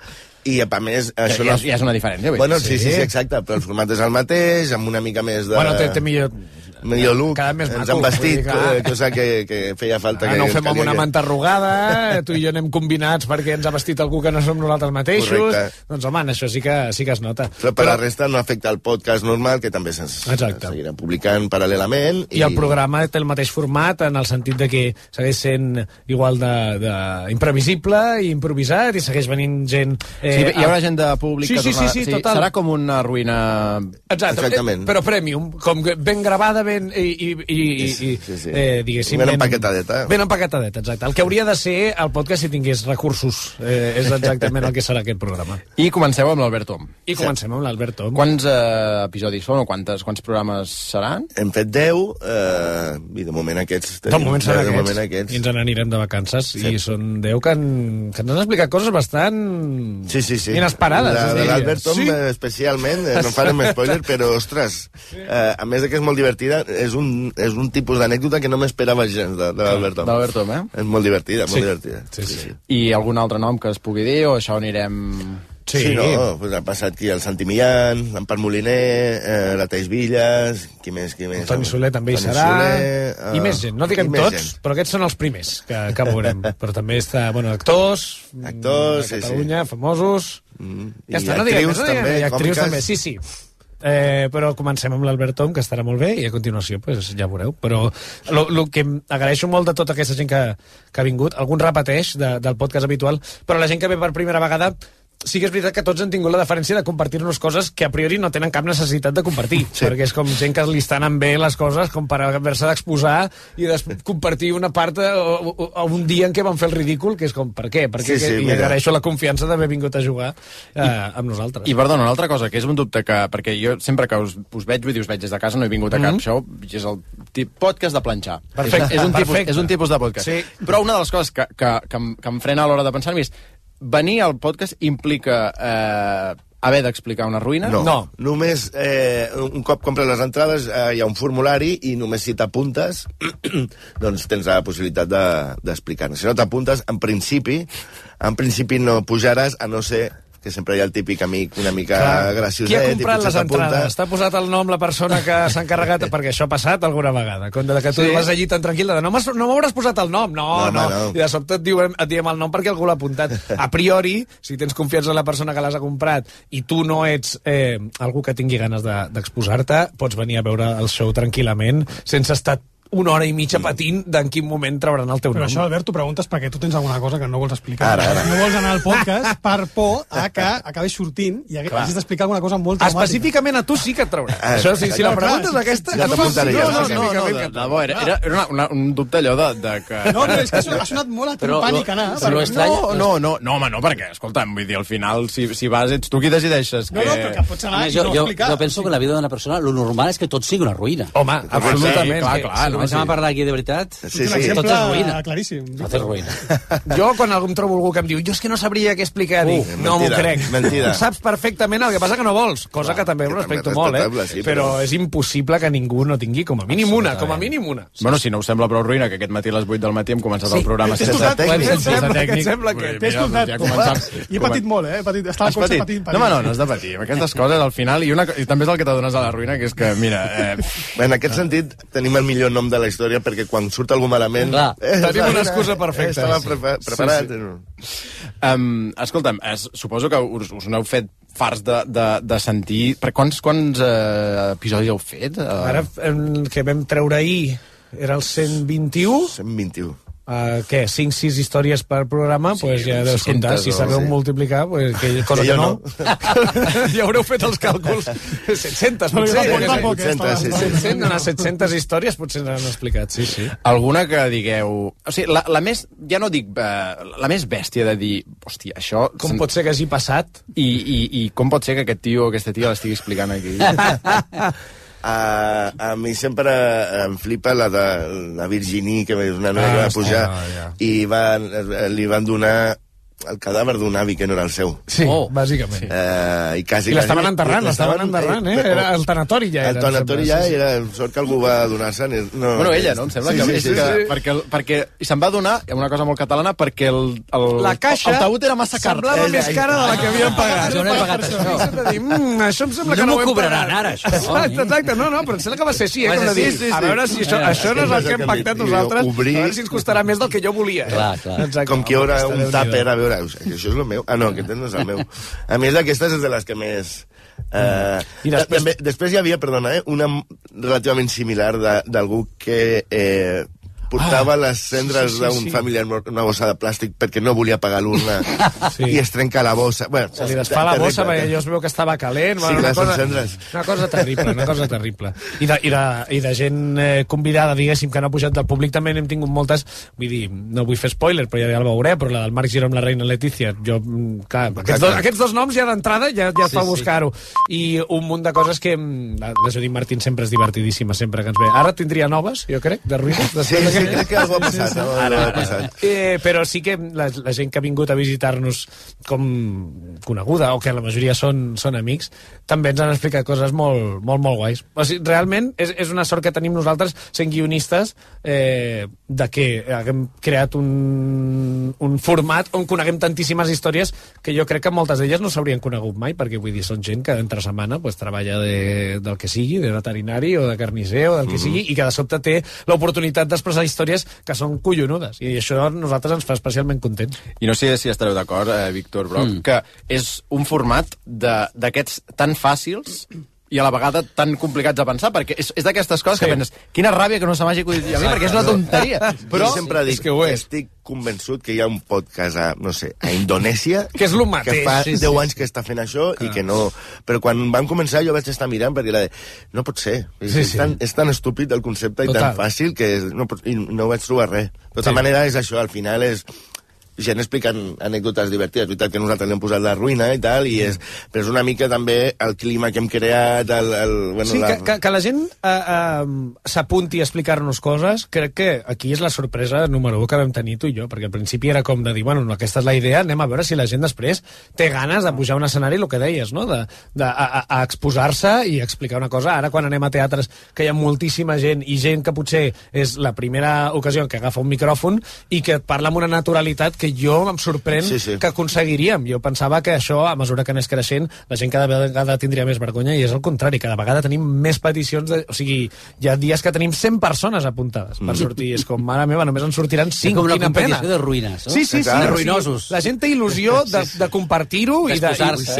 I, a més... Això ja és una diferència. Bueno, sí, exacte, però el format és el mateix, amb una mica més de... Bueno, té millor look, més ens han vestit, cosa que feia falta. No ho fem amb una manta arrugada, tu i jo anem combinats perquè ens ha vestit algú que no som nosaltres mateixos. Correcte. Doncs, home, això sí que es nota. Però per la resta no afecta el podcast normal, que també seguirà publicant paral·lelament. I el programa té el mateix format, en el sentit de que segueix sent igual d'imprevisible i improvisat, i segueix venint gent... Hi haurà gent de públic que tornarà... Sí, total. Serà com una ruïna... Exactament. Però premium, com ben gravada, diguéssim... Ben empaquetadeta. Ben empaquetadeta, exacte. El que hauria de ser el podcast si tingués recursos. És exactament el que serà aquest programa. I comenceu amb l'Albert Tom. Comencem amb l'Albert Tom. Quants episodis són o quants programes seran? Hem fet 10 i de moment aquests... De moment seran aquests. I ens n'anirem de vacances. I són 10 que ens han explicat coses bastant inesperades. De l'Albert Tom especialment, no farem spoiler, però ostres, a més de que és molt divertida, és un tipus d'anècdota que no m'esperava gens de l'Albert Tom. D'Albert Tom, És molt divertida, molt divertida. Sí. I algun altre nom que es pugui dir, o això anirem... Sí, pues ha passat aquí el Santi Millán, l'Empar Moliner, la Taís Villas, qui més? Toni Soler també hi serà, i més gent, no diguem tots, però aquests són els primers que veurem. Però també està, actors de Catalunya, famosos... I actrius també, i actrius també, sí. Però comencem amb l'Albert Tom, que estarà molt bé, i a continuació ja veureu. Però el que agraeixo molt de tota aquesta gent que ha vingut, algun repeteix del podcast habitual, però la gent que ve per primera vegada sí que és veritat que tots han tingut la deferència de compartir-nos coses que a priori no tenen cap necessitat de compartir, perquè és com gent que li estan bé les coses com per haver-se d'exposar i compartir una part o un dia en què van fer el ridícul, que és com, per què? I agraeixo la confiança d'haver vingut a jugar amb nosaltres. I perdona, una altra cosa, que és un dubte perquè jo sempre que us veig, vull dir, us veig des de casa, no he vingut a cap show, és el podcast de planxar. Perfecte. És un tipus de podcast. Sí. Però una de les coses que em frena a l'hora de pensar-m'hi és venir al podcast implica haver d'explicar una ruïna? No. Només un cop compres les entrades hi ha un formulari i només si t'apuntes doncs tens la possibilitat d'explicar-ne. Si no t'apuntes, en principi no pujaràs, a no ser que sempre hi ha el típic amic una mica gracioset. Qui ha comprat les entrades? T'ha posat el nom la persona que s'ha encarregat? Perquè això ha passat alguna vegada. Quan que tu vas allí tan tranquil, no m'hauràs posat el nom. No. I de sobte et diem el nom perquè algú l'ha apuntat. A priori, si tens confiança en la persona que l'has comprat i tu no ets algú que tingui ganes d'exposar-te, pots venir a veure el show tranquil·lament, sense estar una hora i mitja patint d'en quin moment trauran el teu nom. Però això, Albert, t'ho preguntes perquè tu tens alguna cosa que no vols explicar. Ara. No vols anar al podcast per por a que acabis sortint i hagis d'explicar alguna cosa molt traumàtica. Específicament a tu sí que et traurà. Això, si la pregunta és aquesta... Ja t'apuntaré. No, era un dubte allò de que... No, però és que ha sonat molt a pànic anar. No, perquè, escolta'm, vull dir, al final, si vas, ets tu qui decideixes. No, però que pots anar i no explicar. Jo penso que la vida d'una persona, lo normal és que tot sigui una ruïna. Home, absolutament. Clar, comencem a parlar aquí de veritat, tot és ruïna. Claríssim. Tot és ruïna. Jo, quan em trobo algú que em diu jo és que no sabria què explicar, dic, no m'ho crec. Mentida. Saps perfectament el que passa que no vols, cosa que també ho respecto molt, però és impossible que ningú no tingui com a mínim una. Bueno, si no us sembla prou ruïna, que aquest matí a les 8 del matí hem començat el programa sense tècnic. Et sembla que... T'he escoltat. I he patit molt, Estava al cotxe patint. No has de patir. Aquestes coses, al final, i també és el que t'adones a la ruïna, que és que, mira... En aquest sentit, tenim el millor nom de la història perquè quan surt algú malament... Tenim una excusa perfecta. Estava preparat. Escolta'm, suposo que us n'heu fet farts de sentir... Quants episodis heu fet? Ara, que vam treure ahir, era el 121? 121. Què? 5-6 històries per programa? Doncs ja deus comptar. Si sabeu multiplicar, cosa que no. Ja haureu fet els càlculs. 700, potser. 700 històries potser n'han explicat, sí. Alguna que digueu... O sigui, la més... Ja no dic... La més bèstia de dir... Hòstia, això... Com pot ser que hagi passat? I com pot ser que aquest tio o aquesta tia l'estigui explicant aquí? A mi sempre em flipa la de la Virginie, que és una noia que va pujar, i li van donar el cadàver d'un avi que no era el seu. Sí, bàsicament. I quasi... I l'estaven enterrant, Era el tanatori ja. El tanatori ja era... Sort que algú va donar-se... Bueno, ella, no? Em sembla que... Perquè se'n va donar, una cosa molt catalana, perquè la caixa... El taüt era massa car. Semblava més cara de la que havien pagat. Jo no he pagat això. Això em sembla que no ho hem pagat. No m'ho cobraran ara, això. Exacte, no, però em sembla que va ser així, com de dir, a veure si això no és el que hem pactat nosaltres, a veure si ens costarà més del que jo volia. Clar. Com que hi haurà un tàper, a veure, això és el meu. Ah, no, aquest no és el meu. A més, d'aquestes és de les que més... Després hi havia, perdona, una relativament similar d'algú que portava les cendres d'un familiar mort en una bossa de plàstic perquè no volia pagar l'urna i es trenca la bossa. Bueno, se li desfà la bossa perquè jo es veu que estava calent. Sí, clar, són cendres. Una cosa terrible. I de gent convidada, diguéssim, que no ha pujat del públic també n'hem tingut moltes. Vull dir, no vull fer spoiler, però ja el veuré, però la del Marc Giró amb la reina Letícia, jo, clar, aquests dos noms ja d'entrada ja es fa buscar-ho. I un munt de coses que la Judit Martín sempre és divertidíssima, sempre que ens ve. Ara tindria noves, jo crec, de ruïnes. Sí, crec que algú ha passat. Però sí que la gent que ha vingut a visitar-nos com coneguda, o que la majoria són amics, també ens han explicat coses molt guais. O sigui, realment és una sort que tenim nosaltres sent guionistes de que haguem creat un format on coneguem tantíssimes històries que jo crec que moltes d'elles no s'haurien conegut mai, perquè vull dir, són gent que entre setmana treballa del que sigui, de veterinari o de carnisser o del que sigui, i que de sobte té l'oportunitat d'expressar històries que són collonudes, i això a nosaltres ens fa especialment contents. I no sé si estareu d'acord, Víctor Broc, que és un format d'aquests tan fàcils i a la vegada tan complicats de pensar, perquè és d'aquestes coses que penses, quina ràbia que no se m'hagi acudit a mi, perquè és una tonteria. Però jo sempre dic que estic convençut que hi ha un podcast a Indonèsia que és el mateix, que fa 10 anys que està fent això i que no... Però quan van començar jo vaig estar mirant perquè era de... No pot ser. És tan estúpid el concepte i tan fàcil que no vaig trobar res. De tota manera és això, al final és... gent explicant anècdotes divertides. És veritat que nosaltres li hem posat la ruïna i tal, però és una mica també el clima que hem creat, que la gent s'apunti a explicar-nos coses. Crec que aquí és la sorpresa número 1 que vam tenir tu i jo, perquè al principi era com de dir, bueno, aquesta és la idea, anem a veure si la gent després té ganes de pujar a un escenari, el que deies, no? Exposar-se i explicar una cosa. Ara, quan anem a teatres que hi ha moltíssima gent i gent que potser és la primera ocasió que agafa un micròfon i que parla amb una naturalitat que jo em sorprèn que aconseguiríem. Jo pensava que això, a mesura que anés creixent, la gent cada vegada tindria més vergonya, i és el contrari, cada vegada tenim més peticions. O sigui, hi ha dies que tenim 100 persones apuntades per sortir, és com, mare meva, només en sortiran 5, com una quina pena. competició de ruïnes, no? Sí, de ruïnosos. La gent té il·lusió de compartir-ho i d'exposar-se.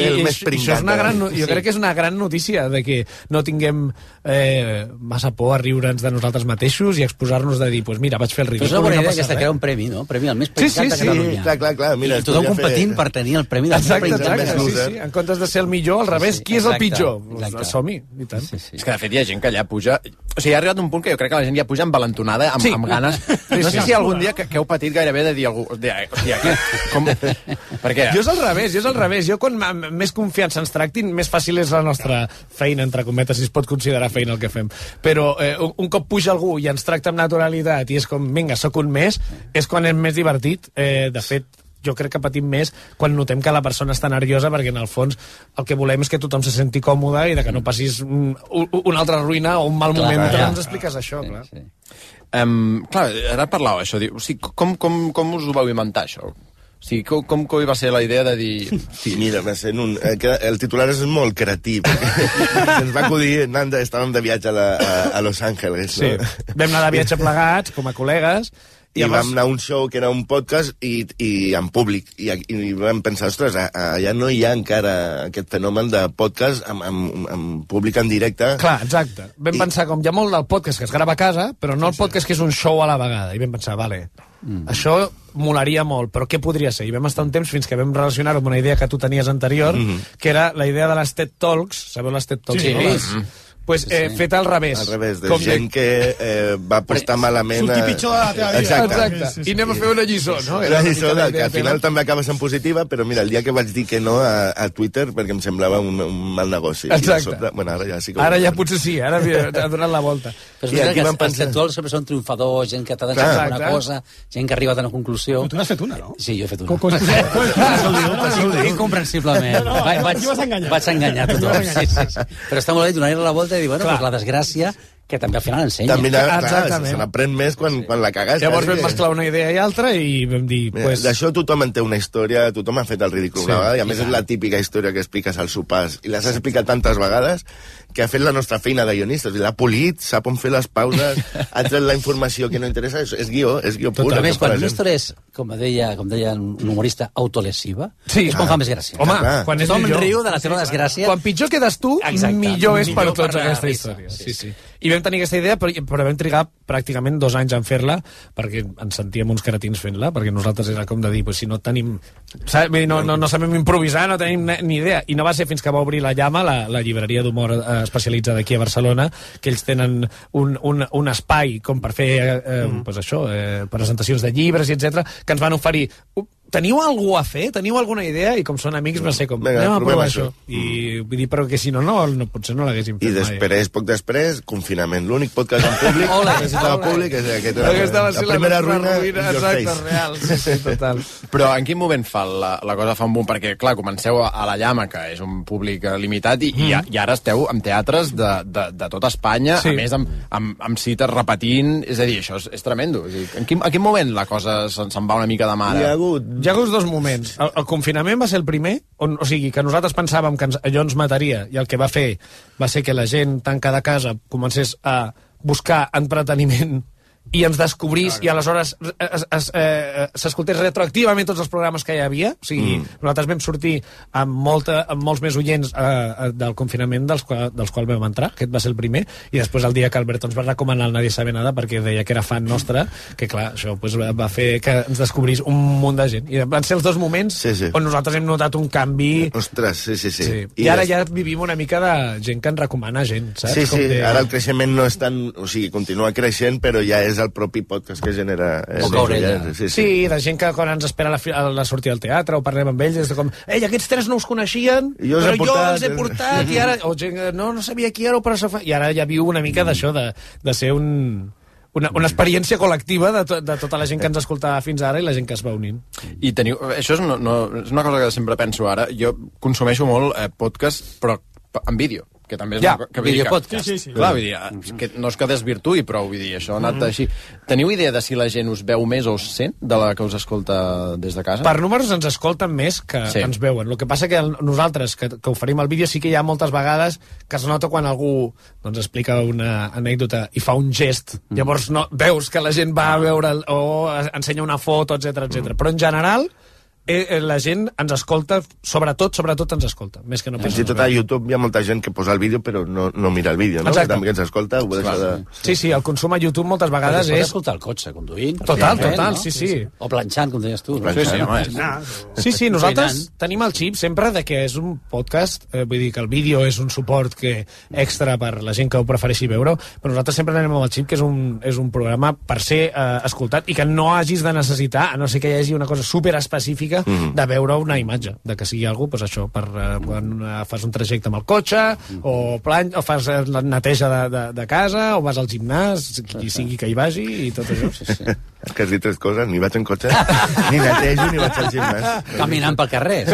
Jo crec que és una gran notícia de que no tinguem massa por a riure'ns de nosaltres mateixos i exposar-nos de dir, pues mira, vaig fer el ridícul. Però és una bona idea aquesta, crear un premi, no? Premi al més penjat de Catalunya. Clar. Mira, i tothom competint per tenir el premi del més penjat. Sí. En comptes de ser el millor, al revés, qui és el pitjor? Som-hi, i tant. És que, de fet, hi ha gent que allà puja... O sigui, ha arribat un punt que jo crec que la gent ja puja envalentonada, amb ganes. No sé si algun dia que heu patit gairebé de dir algú... Perquè... Jo és al revés. Jo, quan més confiança ens tractin, més fàcil és la nostra feina, entre cometes, si es pot considerar feina el que fem. Però un cop puja algú i ens tracta amb naturalitat i és com, vinga, sóc un més, és quan és més divertit. De fet, jo crec que patim més quan notem que la persona està nerviosa, perquè en el fons el que volem és que tothom se senti còmode i de que no passis una altra ruïna o un mal moment mentre ens expliques això. Clar, ara parlàveu això. O sigui, com us ho vau inventar, això? O sigui, com va ser la idea de dir... Sí, mira, va ser el titular és molt creatiu. Ens va acudir, Nanda, estàvem de viatge a Los Angeles. Sí, vam anar de viatge plegats, com a col·legues, i vam anar a un show que era un podcast i en públic. I vam pensar, ostres, allà no hi ha encara aquest fenomen de podcast amb públic en directe. Clar, exacte. Vam pensar, com hi ha molt del podcast que es grava a casa, però no el podcast que és un show a la vegada. I vam pensar, vale, això molaria molt, però què podria ser? I vam estar un temps fins que vam relacionar-ho amb una idea que tu tenies anterior, que era la idea de les TED Talks. Sabeu les TED Talks? Sí. pues, fet al revés. Al revés, de gent que va apostar malament... Sortir pitjor de la teva vida. Exacte. I anem a fer una lliçó, no? Una lliçó que al final també acaba sent positiva, però mira, el dia que vaig dir que no a Twitter, perquè em semblava un mal negoci. Exacte. Bueno, ara ja sí que... Ara ja potser sí, ara ha donat la volta. Però és veritat que els conceptuals sempre són triomfadors, gent que t'ha deixat alguna cosa, gent que ha arribat a una conclusió... Tu n'has fet una, no? Sí, jo he fet una. Incomprensiblement. Vaig enganyar tothom. Però està molt bé donar-li la volta i dir, bueno, doncs la desgràcia que també al final ensenya. També, clar, se n'aprèn més quan la cagues. Llavors vam mesclar una idea i altra i vam dir... D'això tothom en té una història, tothom ha fet el ridícul una vegada, i a més és la típica història que expliques als sopars, i les has explicat tantes vegades que ha fet la nostra feina de guionistes, l'ha polit, sap on fer les pauses, ha tret la informació que no interessa, és guió pur. A més, quan una història és, com deia un humorista, autolesiva, és quan fa més gràcia. Home, quan tothom riu de la teva desgràcia... Quan pitjor quedes tu, millor és per tots aquesta història. Sí. I vam tenir aquesta idea, però vam trigar pràcticament 2 anys en fer-la, perquè ens sentíem uns cretins fent-la, perquè nosaltres era com de dir, si no tenim... No sabem improvisar, no tenim ni idea. I no va ser fins que va obrir la Llama, la llibreria d'humor especialitzada aquí a Barcelona, que ells tenen un espai com per fer presentacions de llibres, i etc, que ens van oferir... Teniu algú a fer? Teniu alguna idea? I com són amics va ser com, anem a provar això. I vull dir, però que si no, potser no l'haguéssim fet mai. I poc després, confinament. L'únic podcast en públic, que estava públic, és aquest. La primera ruïna, exacte, real. Sí, total. Però en quin moment la cosa fa un boom? Perquè, clar, comenceu a la Llama, que és un públic limitat, i ara esteu en teatres de tota Espanya, a més amb cites repetint, és a dir, això és tremendo. En quin moment la cosa se'n va una mica de mare? Hi ha hagut 2 moments. El confinament va ser el primer, o sigui, que nosaltres pensàvem que allò ens mataria, i el que va fer va ser que la gent tancada a casa comencés a buscar entreteniment i ens descobrís, i aleshores s'escoltés retroactivament tots els programes que hi havia. O sigui, nosaltres vam sortir amb molts més oients del confinament dels quals vam entrar. Aquest va ser el primer, i després el dia que Alberto ens va recomanar el Nadie sabe nada, perquè deia que era fan nostre, que clar, això va fer que ens descobrís un munt de gent. I van ser els 2 moments on nosaltres hem notat un canvi. Ostres, sí. I ara ja vivim una mica de gent que ens recomana gent, saps? Sí, ara el creixement no és tan... O sigui, continua creixent, però ja és el propi podcast que genera... Sí, de gent que quan ens espera la sortida del teatre o parlem amb ells, és com, aquests 3 no us coneixien, però jo els he portat, i ara... O gent, no sabia qui era, però... I ara ja viu una mica d'això, de ser una experiència col·lectiva de tota la gent que ens escoltava fins ara i la gent que es va unint. I teniu... Això és una cosa que sempre penso ara. Jo consumeixo molt podcast, però en vídeo, que també és videopodcast. Sí. Clar, vull dir, que no és que desvirtuï, però vull dir, això ha anat així. Teniu idea de si la gent us veu més o us sent de la que us escolta des de casa? Per números ens escolten més que ens veuen. El que passa que nosaltres, que oferim el vídeo, sí que hi ha moltes vegades que es nota quan algú explica una anècdota i fa un gest. Llavors veus que la gent va a veure o ensenya una foto, etc. Però en general... la gent ens escolta, sobretot ens escolta, més que no fins i tot a YouTube hi ha molta gent que posa el vídeo però no mira el vídeo, no? Que també ens escolta, ho deixa de... Sí, el consum a YouTube moltes vegades és... escoltar el cotxe, conduint. Total, sí. O planxant, com deies tu. Sí, nosaltres tenim el xip sempre de que és un podcast, vull dir que el vídeo és un suport extra per la gent que ho prefereixi veure, però nosaltres sempre anem amb el xip que és un programa per ser escoltat i que no hagis de necessitar, a no ser que hi hagi una cosa super específica de veure una imatge, de que sigui algú, doncs això, per quan fas un trajecte amb el cotxe, o fas la neteja de casa, o vas al gimnàs, qui sigui que hi vagi, i tot això. És que has dit 3 coses, ni vaig en cotxe, ni netejo, ni vaig al gimnàs. Caminant pel carrer.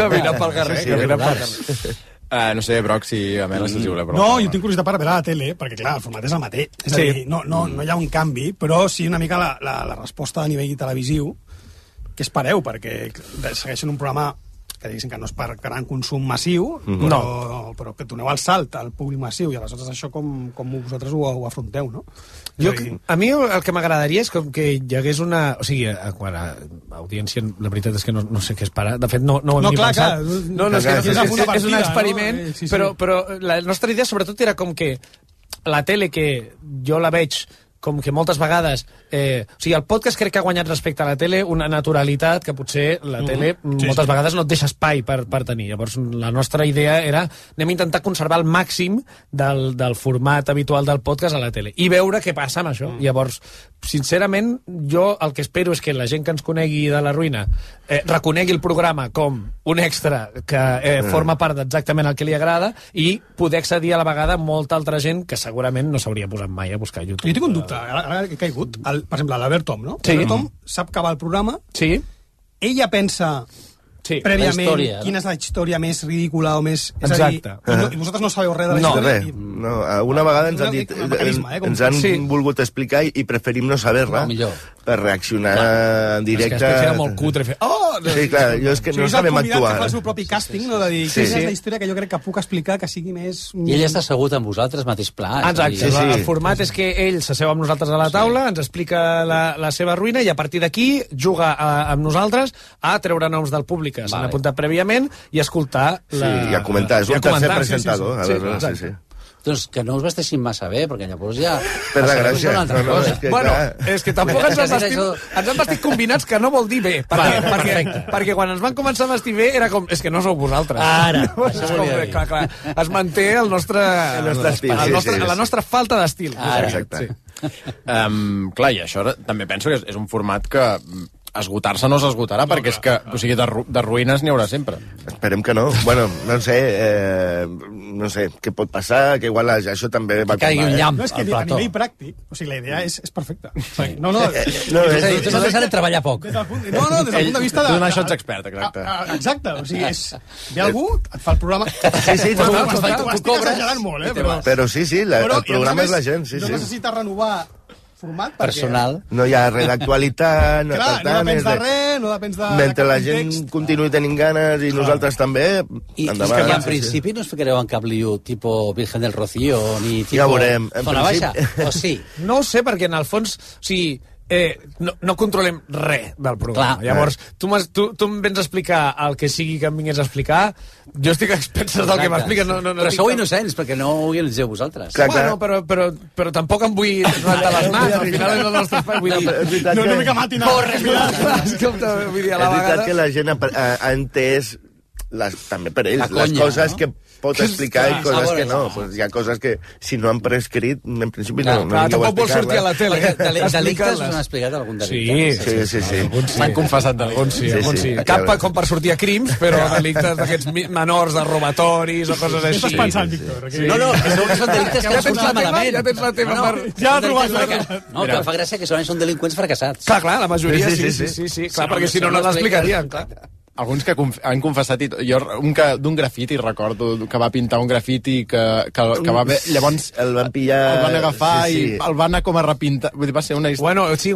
No sé, Broc, si a Mela se'ls voleu preguntar. No, jo tinc curiositat per veure la tele, perquè clar, el format és el mateix. És a dir, no hi ha un canvi, però sí una mica la resposta a nivell televisiu, que espereu, perquè segueixen un programa que diguéssim que no és per gran consum massiu, però que doneu el salt al públic massiu, i aleshores això com vosaltres ho afronteu, no? A mi el que m'agradaria és que hi hagués una... O sigui, quan a audiència, la veritat és que no sé què esperar. De fet, no ho hem ni pensat. És un experiment, però la nostra idea sobretot era com que la tele, que jo la veig com que moltes vegades O sigui, el podcast crec que ha guanyat respecte a la tele una naturalitat que potser la tele moltes vegades no et deixa espai per tenir. Llavors, la nostra idea era anem a intentar conservar el màxim del format habitual del podcast a la tele i veure què passa amb això. Llavors, sincerament, jo el que espero és que la gent que ens conegui de La Ruïna reconegui el programa com un extra que forma part d'exactament el que li agrada i poder accedir a la vegada a molta altra gent que segurament no s'hauria posat mai a buscar a YouTube. Jo tinc un dubte, ara he caigut. Per exemple, l'Albert Tom, no? Sí. L'Albert Tom sap que va al programa, sí. Ella pensa prèviament quina és la història més ridícula o més... Exacte. I vosaltres no sabeu res de la història? No, una vegada ens han dit... Ens han volgut explicar i preferim no saber-la per reaccionar en directe. És que era molt cutre fer... Sí, clar, jo és que no sabem actuar. És el convidat que fa el seu propi càsting, no? De dir, quina és la història que jo crec que puc explicar que sigui més... I ell està assegut amb vosaltres, mateix pla. Exacte. El format és que ell s'asseu amb nosaltres a la taula, ens explica la seva ruïna i a partir d'aquí juga amb nosaltres a treure noms del públic que s'han apuntat prèviament i escoltar... Sí, i a comentar. És un tercer presentador. Sí. Doncs que no us vesteixin massa bé, perquè llavors ja... Per la gràcia. Bueno, és que tampoc ens han vestit combinats, que no vol dir bé. Perquè quan ens van començar a vestir bé era com... És que no sou vosaltres. Ara. Clar. Es manté el nostre estil. La nostra falta d'estil. Exacte. Clar, i això també penso que és un format que... esgotar-se no s'esgotarà, perquè és que, o sigui, de ruïnes n'hi haurà sempre. Esperem que no. Bueno, no sé què pot passar, que igual això també va que caigui un llamp al plató. A nivell pràctic, o sigui, la idea és perfecta. No, tu no de treballar poc. Des del punt de vista de... Donar això ets expert, exacte. Exacte, o sigui, ve algú, et fa el programa... Sí, tu estic exagerant molt, però sí, el programa és la gent, sí. No necessites renovar format personal. No hi ha res d'actualitat, no depens de res, no depens de... Mentre la gent continuï tenint ganes i nosaltres també, endavant. I en principi no us ficareu en cap liu tipus Virgen del Rocío, ni tipus... Ja veurem. Zona Baixa, o sí? No ho sé, perquè en el fons... O sigui, no controlem res del programa. Clar. Llavors, tu em vens a explicar el que sigui que em vingués a explicar, jo estic a expenses del que m'expliques. Però sou innocents, perquè no ho organitzeu vosaltres. Bueno, però tampoc em vull rentar les mans, al final és el nostre espai. Vull dir, no una mica matinal. Vull dir, a la vegada... És veritat que la gent ha entès, també per ells, les coses que pot explicar i coses que no. Pues hi ha coses que, si no han prescrit, en principi no tampoc vol sortir a la tele. Delictes us han explicat algun delicte? Sí. M'han confessat d'algun, sí. Cap com per sortir a crims, però delictes d'aquests menors, de robatoris o coses així. Què estàs pensant, Víctor? No, que són delictes que surten malament. Ja tens la teva part. Ja l'ha trobat. No, que em fa gràcia que solament són delinqüents fracassats. Clar, la majoria sí. Clar, perquè si no l'explicarien, clar. Alguns que han confessat, jo d'un grafiti recordo que va pintar un grafiti que va haver, llavors el van pillar, el van agafar i el van anar com a repintar, vull dir, va ser una història. Bueno, sí,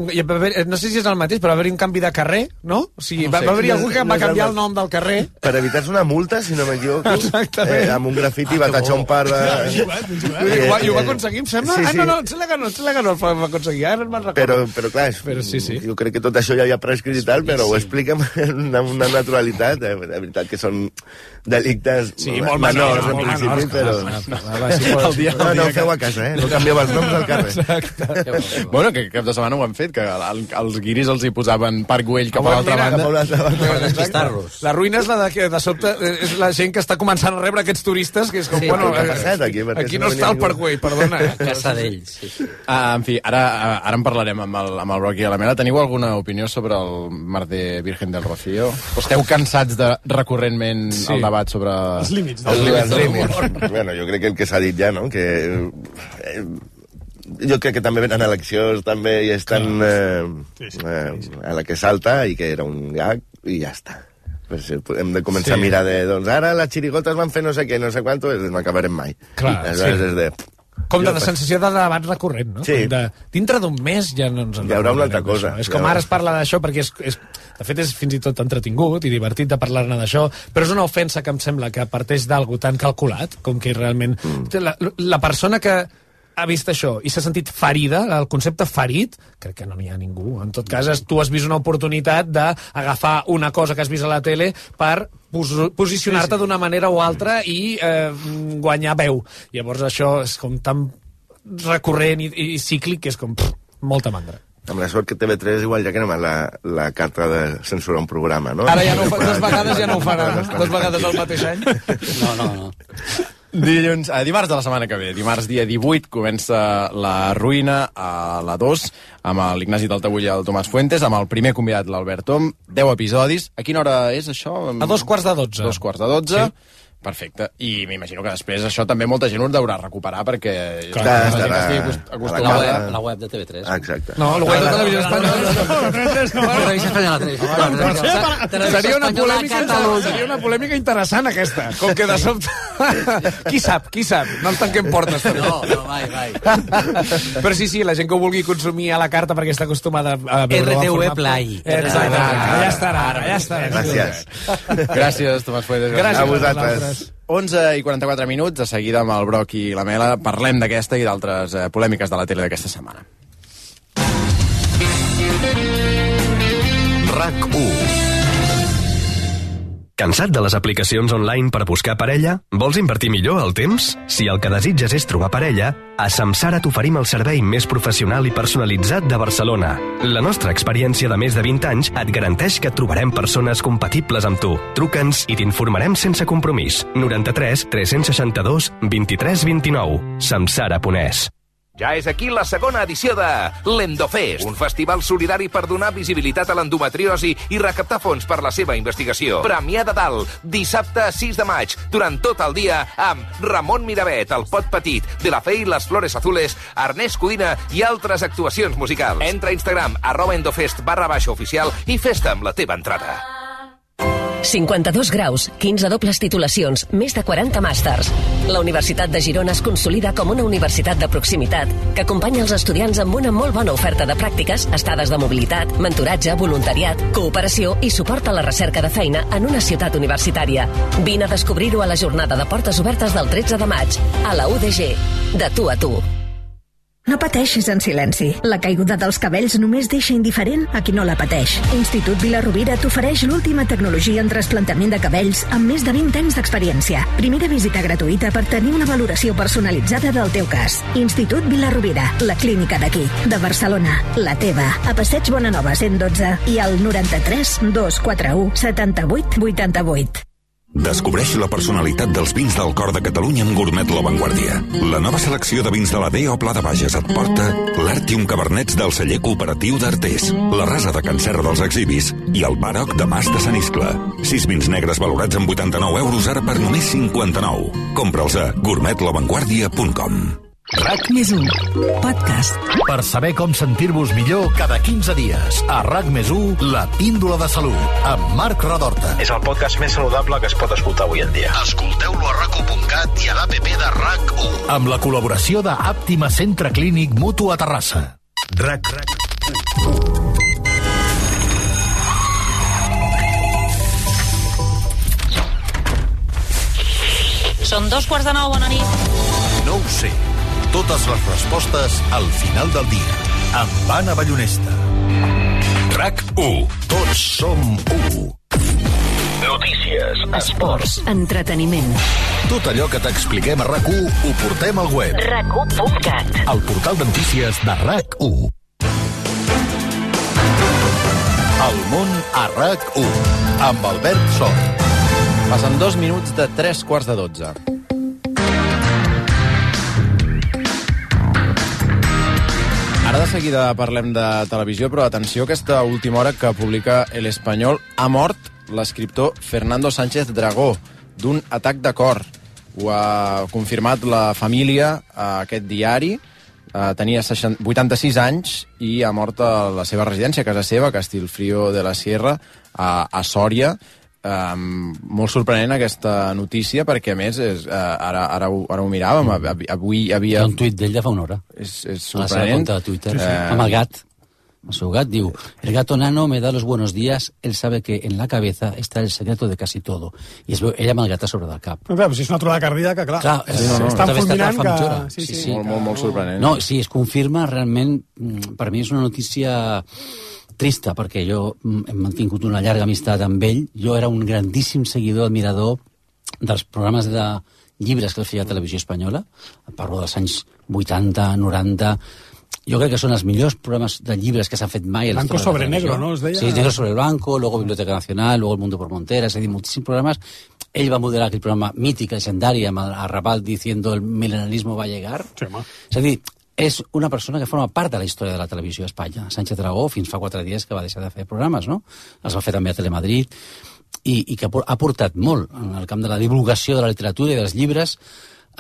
no sé si és el mateix, però va haver-hi un canvi de carrer, no? O sigui, va haver-hi algú que va canviar el nom del carrer. Per evitar-se una multa, si no m'equivoco. Exactament. Amb un grafiti va tatxar un par de... I ho va aconseguir, em sembla? No, sembla que no el va aconseguir, ara me'n recordo. Però clar, jo crec que tot això ja havia prescrit i tal, però ho explica amb una naturalitat, de veritat que són delictes menors en principi, però... No ho feu a casa, no canvieu els noms al carrer. Bueno, que cap de setmana ho han fet, que els guiris els hi posaven Parc Güell cap a l'altra banda. La ruïna és la de sobte, és la gent que està començant a rebre aquests turistes, que és com, bueno, aquí no està el Parc Güell, perdona. Casa d'ells. En fi, ara en parlarem amb el Rocky i la Mela. Teniu alguna opinió sobre el Mar de Virgen del Rocío? Esteu cansats de recurrentment el debat sobre els límits de l'humor? Bueno, jo crec que el que s'ha dit ja, no? Que jo crec que també venen eleccions també i estan a la que salta i que era un gag i ja està. Pues hem de començar a mirar de, doncs ara les xirigotes van fer no sé què, no sé quant, no acabarem mai. Clar, com de sensació de debat recurrent, no? Sí. Dintre d'un mes ja no ens en hi haurà una altra cosa. És com ara es parla d'això perquè de fet és fins i tot entretingut i divertit de parlar-ne d'això, però és una ofensa que em sembla que parteix d'algú tan calculat com que realment... La persona que ha vist això i s'ha sentit ferida, el concepte ferit, crec que no n'hi ha ningú. En tot cas, tu has vist una oportunitat d'agafar una cosa que has vist a la tele per posicionar-te d'una manera o altra i guanyar veu. Llavors això és com tan recurrent i cíclic que és com molta mandra. Amb la sort que TV3 igual ja que anem a la carta de censurar un programa, no? Ara ja no ho fa, 2 vegades ja no ho faran, 2 vegades al mateix any. No. Dimarts de la setmana que ve, dimarts dia 18, comença La Ruïna a la 2, amb l'Ignasi Taltabull i el Tomàs Fuentes, amb el primer convidat, l'Albert Tom, 10 episodis. A quina hora és això? A 2:45. 2:45. Sí. Perfecte. I m'imagino que després això també molta gent ho deurà recuperar perquè... La web de TV3. Exacte. No, la web de Televisió Espanyola. Televisió Espanyola. Seria una polèmica interessant, aquesta. Com que de sobte... Qui sap? No ens tanquem portes. No, mai. Però sí, la gent que ho vulgui consumir a la carta perquè està acostumada a veure... RTV Play. Exacte. Ja estarà. Gràcies. Gràcies, Tomàs Fuentes. Gràcies a vosaltres. 11:44 minuts, de seguida amb el Broc i la Mela parlem d'aquesta i d'altres polèmiques de la tele d'aquesta setmana. RAC1. Cansat de les aplicacions online per buscar parella? Vols invertir millor el temps? Si el que desitges és trobar parella, a Samsara t'oferim el servei més professional i personalitzat de Barcelona. La nostra experiència de més de 20 anys et garanteix que et trobarem persones compatibles amb tu. Truca'ns i t'informarem sense compromís. 93 362 23 29. Samsara.es. Ja és aquí la segona edició de l'Endofest, un festival solidari per donar visibilitat a l'endometriosi i recaptar fons per la seva investigació. Premià de Dalt, dissabte 6 de maig, durant tot el dia, amb Ramon Miravet, el Pot Petit, De La Fe i les Flores Azules, Ernest Codina i altres actuacions musicals. Entra a Instagram, @endofest_oficial i festa amb la teva entrada. 52 graus, 15 dobles titulacions, més de 40 màsters. La Universitat de Girona es consolida com una universitat de proximitat que acompanya els estudiants amb una molt bona oferta de pràctiques, estades de mobilitat, mentoratge, voluntariat, cooperació i suport a la recerca de feina en una ciutat universitària. Vine a descobrir-ho a la jornada de portes obertes del 13 de maig, a la UDG. De tu a tu. No pateixis en silenci. La caiguda dels cabells només deixa indiferent a qui no la pateix. Institut Vila-rovira t'ofereix l'última tecnologia en trasplantament de cabells amb més de 20 anys d'experiència. Primera visita gratuïta per tenir una valoració personalitzada del teu cas. Institut Vila-rovira, la clínica d'aquí, de Barcelona, la teva. A Passeig Bonanova 112 i al 93 241 78 88. Descobreix la personalitat dels vins del cor de Catalunya amb Gourmet La Vanguardia. La nova selecció de vins de la DEO Pla de Bages et porta l'Artium Cabernets del celler cooperatiu d'Artés, la Rasa de Can Serra dels Exhibis i el Baroc de Mas de Sant Iscle. 6 vins negres valorats amb 89 euros ara per només 59. Compra'ls a gourmetlavanguardia.com. RAC+1, podcast. Per saber com sentir-vos millor cada 15 dies. A RAC+1, la píndola de salut, amb Marc Redorta. És el podcast més saludable que es pot escoltar avui en dia. Escolteu-lo a RAC1.cat i a l'APP de RAC1. Amb la col·laboració de Àptima Centre Clínic Mutu a Terrassa. RAC. Són 2:45, bona nit. No ho sé. Totes les respostes al final del dia. Amb Anna Ballonesta. RAC1. Tots som 1. Notícies, esports, entreteniment. tot allò que t'expliquem a RAC1 ho portem al web. RAC1.cat. El portal de notícies de RAC1. El món a RAC1. Amb Albert Sort. Passen 2 minuts de 3:15. Ara de seguida parlem de televisió, però atenció, aquesta última hora que publica El Espanyol, ha mort l'escriptor Fernando Sánchez Dragó d'un atac de cor. Ho ha confirmat la família a aquest diari. Tenia 86 anys i ha mort a la seva residència, a casa seva, a Castellfrío de la Sierra, a Sòria. Molt sorprenent aquesta notícia, perquè a més ara ho miràvem, avui havia... Hi ha un tuit d'ell de fa una hora. És sorprenent. A la seva compte de Twitter, amb el gat. El seu gat diu: el gato nano me da los buenos días, él sabe que en la cabeza está el secreto de casi todo. I es veu ell amb el gat a sobre del cap. Però clar, si és una aturada cardíaca, clar. Estan fulminant que... Sí. Molt sorprenent. No, sí, es confirma realment, per mi és una notícia trista, perquè jo hem mantingut una llarga amistat amb ell. Jo era un grandíssim seguidor, admirador dels programes de llibres que el feia a Televisió Espanyola. Parlo dels anys 80, 90... jo crec que són els millors programes de llibres que s'han fet mai. Blanco sobre negro, ¿no? Es deia... Sí, Negro sobre blanco, luego Biblioteca Nacional, luego El Mundo por Montera, és a dir, moltíssims programes. Ell va modelar aquell programa mític, legendari, amb el Arrabal diciendo el milenarismo va a llegar. Sí, home. És a dir, és una persona que forma part de la història de la televisió a Espanya. Sánchez Dragó, fins fa 4 dies que va deixar de fer programes, no? Els va fer també a Telemadrid, i que ha portat molt en el camp de la divulgació de la literatura i dels llibres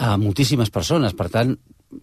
a moltíssimes persones. Per tant,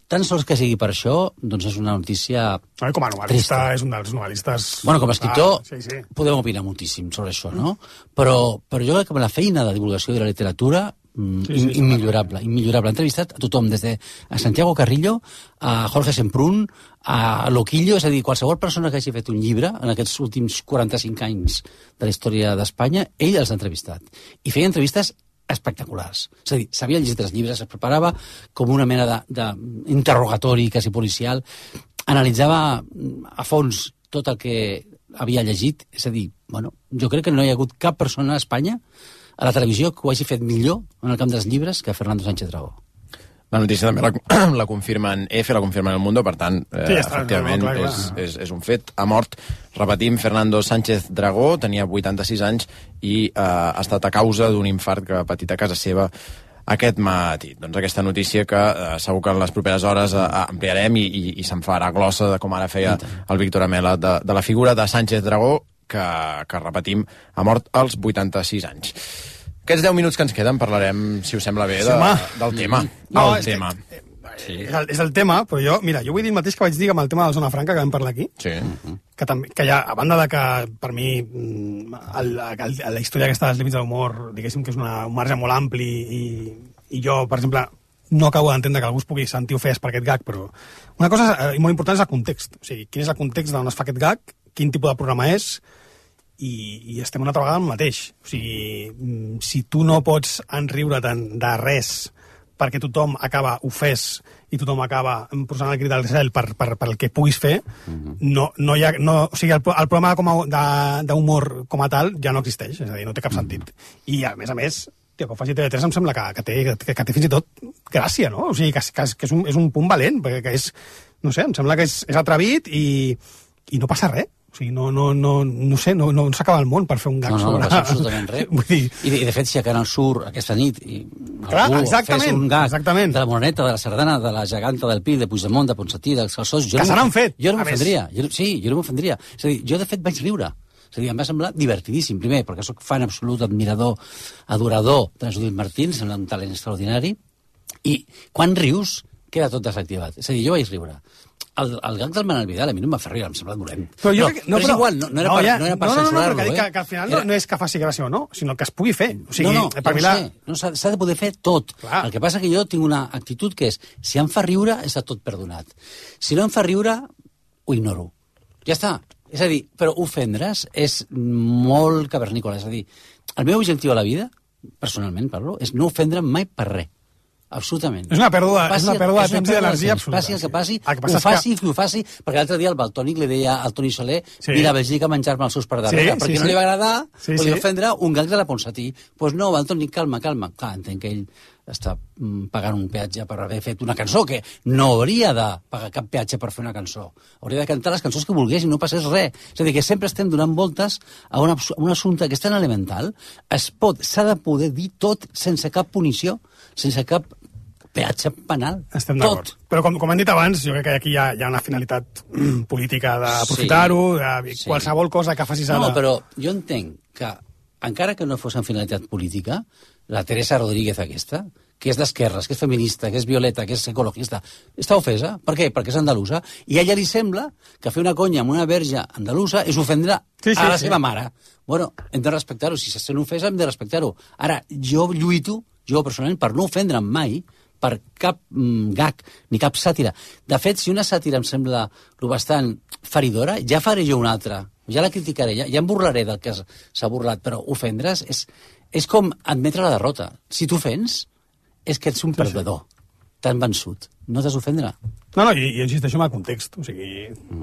tan sols que sigui per això, doncs és una notícia com a novel·lista, és un dels novel·listes... Bueno, com a escriptor, sí. podem opinar moltíssim sobre això, no? Però jo crec que la feina de divulgació de la literatura immillorable. Ha entrevistat a tothom, des de a Santiago Carrillo, a Jorge Semprún, a Loquillo, és a dir, qualsevol persona que hagi fet un llibre en aquests últims 45 anys de la història d'Espanya, ell els ha entrevistat. I feia entrevistes espectaculars. És a dir, sabia llegir els llibres, es preparava com una mena d'interrogatori quasi policial, analitzava a fons tot el que havia llegit, és a dir, bueno, jo crec que no hi ha hagut cap persona a Espanya, a la televisió, que ho hagi fet millor en el camp dels llibres que Fernando Sánchez Dragó. La notícia també la confirmen EFE, la confirmen El Mundo, per tant, efectivament, és un fet. Ha mort, repetim, Fernando Sánchez Dragó, tenia 86 anys i ha estat a causa d'un infart que ha patit a casa seva aquest matí. Doncs aquesta notícia que segur que en les properes hores ampliarem i se'n farà glossa, com ara feia el Víctor Amela, de la figura de Sánchez Dragó, que repetim, ha mort als 86 anys. Aquests 10 minuts que ens queden parlarem, si us sembla bé, del tema. És el tema, però jo vull dir el mateix que vaig dir amb el tema de la Zona Franca, que vam parlar aquí, que ja, a banda de que per mi la història aquesta dels límits de l'humor, diguéssim que és un marge molt ampli, i jo, per exemple, no acabo d'entendre que algú es pugui sentir ofès per aquest gag, però una cosa molt important és el context. O sigui, quin és el context d'on es fa aquest gag, quin tipus de programa és, i estem una altra vegada en el mateix. O sigui, si tu no pots enriure-te'n de res perquè tothom acaba ofès i tothom acaba posant el crit al cel per el que puguis fer, o sigui, el programa d'humor com a tal ja no existeix, és a dir, no té cap sentit. I a més, que ho faci TV3 em sembla que té fins i tot gràcia, no? O sigui, que és un punt valent, perquè no sé, em sembla que és atrevit i no passa res. O sigui, no sé, no s'acaba el món per fer un gag sobre... No passa absolutament res. I de fet, si a Canal Sur aquesta nit algú fes un gag de la Moreneta, de la Sardana, de la Geganta, del Pi, de Puigdemont, de Ponsatí, dels Calçós... Que se n'han fet! Jo no m'ofendria. Sí, jo no m'ofendria. És a dir, jo de fet vaig riure. És a dir, em va semblar divertidíssim, primer, perquè soc fan absolut, admirador, adorador de Judit Martín, sembla un talent extraordinari, i quan rius queda tot desactivat. És a dir, jo vaig riure. El gag del Manel Vidal a mi no em va fer riure, em sembla dolent. Però és igual, no era per censurar-lo. No, que al final no és que faci gràcia o no, sinó que es pugui fer. O sigui, s'ha de poder fer tot. Clar. El que passa que jo tinc una actitud que és, si em fa riure, està tot perdonat. Si no em fa riure, ho ignoro. Ja està. És a dir, però ofendre's és molt cavernícola. És a dir, el meu objectiu a la vida, personalment parlo, és no ofendre'm mai per res. Absolutament. És una pèrdua de temps i d'energia absoluta. Passi el que passi, ho faci, perquè l'altre dia el Baltònic li deia al Toni Soler vine a Bèlgica a menjar-me els seus per darrere, perquè no li va agradar o li va ofendre un gag de la Ponsatí. Doncs no, Baltònic, calma. Clar, entenc que ell està pagant un peatge per haver fet una cançó, que no hauria de pagar cap peatge per fer una cançó. Hauria de cantar les cançons que volgués i no passés res. És a dir, que sempre estem donant voltes a un assumpte que és tan elemental. S'ha de poder dir tot sense cap punició, sense cap peatge penal. Estem d'acord. Però com hem dit abans, jo crec que aquí hi ha una finalitat política d'aprofitar-ho, de qualsevol cosa que facis ara... No, però jo entenc que, encara que no fos en finalitat política, la Teresa Rodríguez aquesta, que és d'esquerres, que és feminista, que és violeta, que és ecologista, està ofesa. Per què? Perquè és andalusa. I a ella li sembla que fer una conya amb una verge andalusa és ofendre a la seva mare. Bueno, hem de respectar-ho. Si se sent ofesa, hem de respectar-ho. Ara, jo lluito, personalment, per no ofendre'm mai per cap gag ni cap sàtira. De fet, si una sàtira em sembla bastant feridora, ja faré jo una altra. Ja la criticaré, ja em burlaré del que s'ha burlat, però ofendre's és com admetre la derrota. Si t'ofens, és que ets un perdedor. t'han vençut. No t'has d'ofendre. No, i insisteixo en el context. O sigui,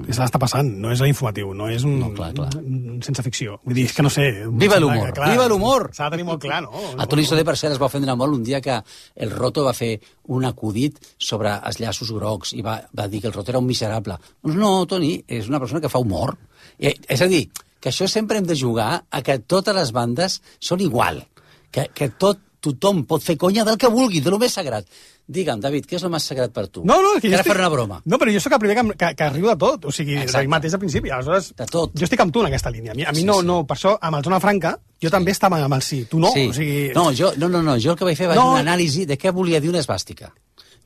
és l'està passant, no és l'informatiu, no és un sense ficció. Vull dir, és que no sé... Viva l'humor! Viva l'humor! S'ha de tenir molt clar, no? A Toni Soler, per cert, es va ofendre molt un dia que el Roto va fer un acudit sobre els llaços grocs i va dir que el Roto era un miserable. Doncs no, Toni, és una persona que fa humor. És a dir, que això sempre hem de jugar a que totes les bandes són igual. Que tothom pot fer conya del que vulgui, de lo més sagrat. Digue'm, David, què és el més sagrat per tu? No, que jo faré una broma. No, però jo sóc el primer que arribo de tot. O sigui, del mateix al principi. Aleshores, de tot. Jo estic amb tu en aquesta línia. A mi no, per això, amb el Zona Franca, jo també estava amb el sí. Tu no. Sí. O sigui... No, jo el que vaig fer va ser una anàlisi de què volia dir una esvàstica.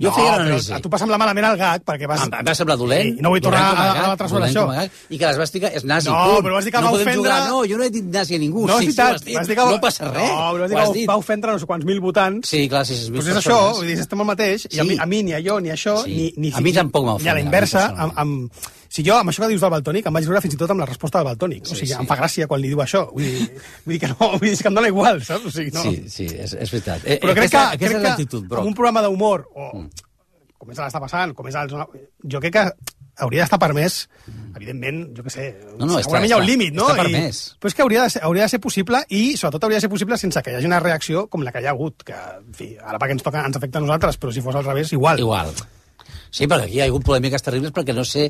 Jo feia l'anàlisi. A tu va semblar malament el gag, perquè vas... Em va semblar dolent. No vull tornar a l'altre sobre això. I que l'esvàstica és nazi. No, però vas dir que va ofendre... No, jo no he dit nazi a ningú. No, és veritat. No passa res. No, però vas dir que va ofendre no sé quants mil votants. Sí, clar, 6.000 persones. Doncs és això, vull dir, estem el mateix, i a mi, ni a jo, ni a això, ni... A mi tampoc m'ha ofendre. Ni a la inversa, si jo, amb això que dius del Valtònic, em vaig riure fins i tot amb la resposta del Valtònic. O sigui, em fa gràcia quan li diu això. Vull dir que no, vull dir que em dona igual, saps? O sigui, no. Sí, és veritat. Però crec que amb un programa d'humor, com és l'està passant, com és jo crec que hauria d'estar permès, evidentment, jo què sé, segurament hi ha un límit, no? Està permès. Però és que hauria de ser possible i, sobretot, hauria de ser possible sense que hi hagi una reacció com la que hi ha hagut, que, en fi, ara perquè ens afecta a nosaltres, però si fos al revés, igual. Igual. Sí, però aquí hi ha hagut polèmiques terribles perquè no sé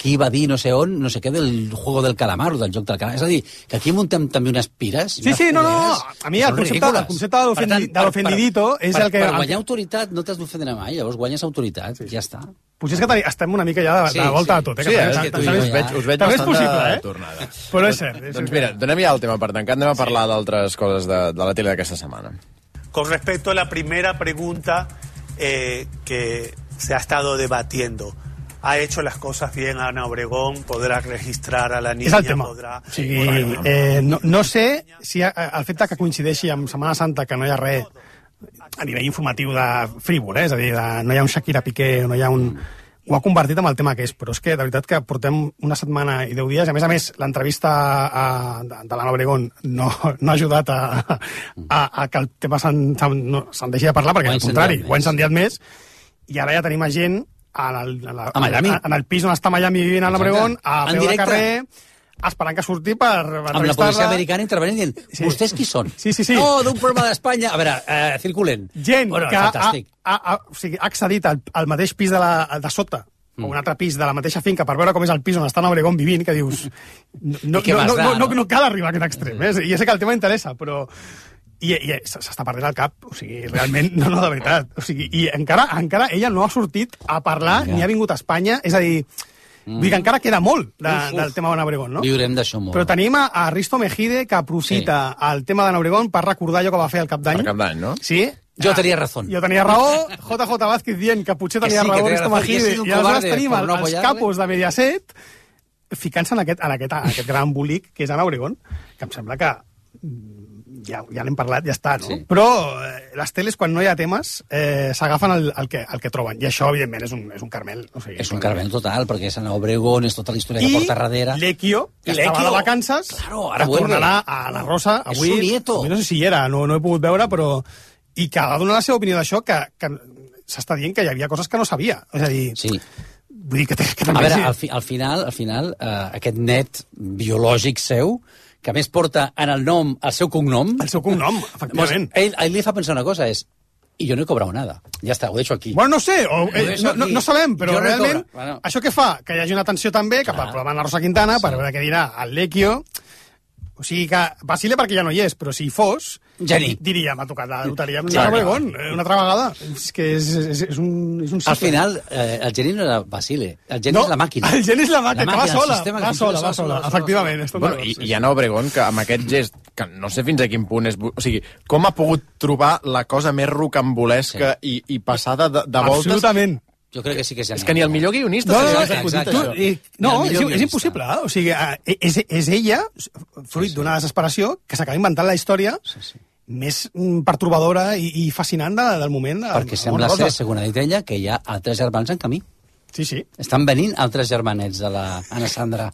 qui va dir no sé on, no sé què, del juego del calamar o del joc del calamar. És a dir, que aquí muntem també unes pires... Sí, no. A mi el concepte de l'ofendidito és el que... Per guanyar autoritat no t'has d'ofendre mai, llavors guanyes autoritat, ja està. Potser és que estem una mica ja de volta a tot. Sí, us veig bastant de tornada. Però és cert. Doncs mira, donem ja el tema per tancat, anem a parlar d'altres coses de la tele d'aquesta setmana. Con respecto a la primera pregunta que se ha estado debatiendo, ¿ha hecho las cosas bien Ana Obregón? ¿Podrà registrar a la niña? És el tema. O sigui, no sé si el fet que coincideixi amb Setmana Santa que no hi ha res a nivell informatiu de frívol, és a dir, no hi ha un Shakira Piqué, no hi ha un... Ho ha convertit en el tema que és, però és que, de veritat, que portem una setmana i 10 dies, a més, l'entrevista de l'Anna Obregón no ha ajudat a que el tema se'n deixi de parlar, perquè, al contrari, ho ha incendiat més, i ara ja tenim a gent en el pis on està Miami vivint Anna Obregón, a peu de carrer, esperant que surti per entrevistar-la. Amb la policia americana intervenint dient, vostès qui són? Sí. No, d'un programa d'Espanya. A veure, circulen. Gent que ha accedit al mateix pis de sota, o un altre pis de la mateixa finca, per veure com és el pis on està Anna Obregón vivint, que dius... No cal arribar a aquest extrem, i ja sé que el tema interessa, però... I s'està perdent el cap, o sigui, realment, no, de veritat. O sigui, i encara ella no ha sortit a parlar, ni ha vingut a Espanya, és a dir... Vull dir que encara queda molt del tema d'Anna Obregón, no? Viurem d'això molt. Però tenim a Risto Mejide, que aprofita el tema d'Anna Obregón per recordar allò que va fer al Cap d'Any. Per Cap d'Any, no? Sí. Jo tenia raó. Jo tenia raó, JJ Vázquez dient que potser tenia raó Risto Mejide, i aleshores tenim els capos de Mediaset ficant-se en aquest gran embolic que és Anna Obregón, que em sembla que ja n'hem parlat, ja està, no? Sí. Però les teles, quan no hi ha temes, s'agafen el que troben. I això, evidentment, és un carmel. O sigui, és un carmel total, perquè és Anna Obregón, és tota la història que porta darrere. I Lecchio, que estava de vacances, que tornarà a la Rosa avui. És su nieto. No sé si hi era, no he pogut veure, però... I que ha de donar la seva opinió d'això, que s'està dient que hi havia coses que no sabia. És a dir... Sí. Vull dir que també... A veure, al final, aquest net biològic seu, que a més porta en el nom el seu cognom... El seu cognom, efectivament. Ell li fa pensar una cosa, i jo no he cobrat nada. Ja està, ho deixo aquí. Bueno, no sé, no sabem, però realment, això què fa? Que hi hagi una atenció també cap al programa de la Rosa Quintana, per veure què dirà el Lecchio. O sigui que vacile perquè ja no hi és, però si hi fos, diria, m'ha tocat la loteria amb Anna Obregón, una altra vegada. És que és un cicle. Al final, el geni no era Basile, el geni és la màquina. El geni és la màquina, que va sola, efectivament. I Anna Obregón, que amb aquest gest, que no sé fins a quin punt és... O sigui, com ha pogut trobar la cosa més rocambolesca i passada de voltes... Absolutament. Jo crec que sí que és genial. És que ni el millor guionista és impossible. O sigui, és ella, fruit d'una desesperació, que s'acaba inventant la història més pertorbadora i fascinant del moment. Perquè sembla ser, segons ha dit ella, que hi ha altres germans en camí. Sí. Estan venint altres germanets de la Anna Sandra,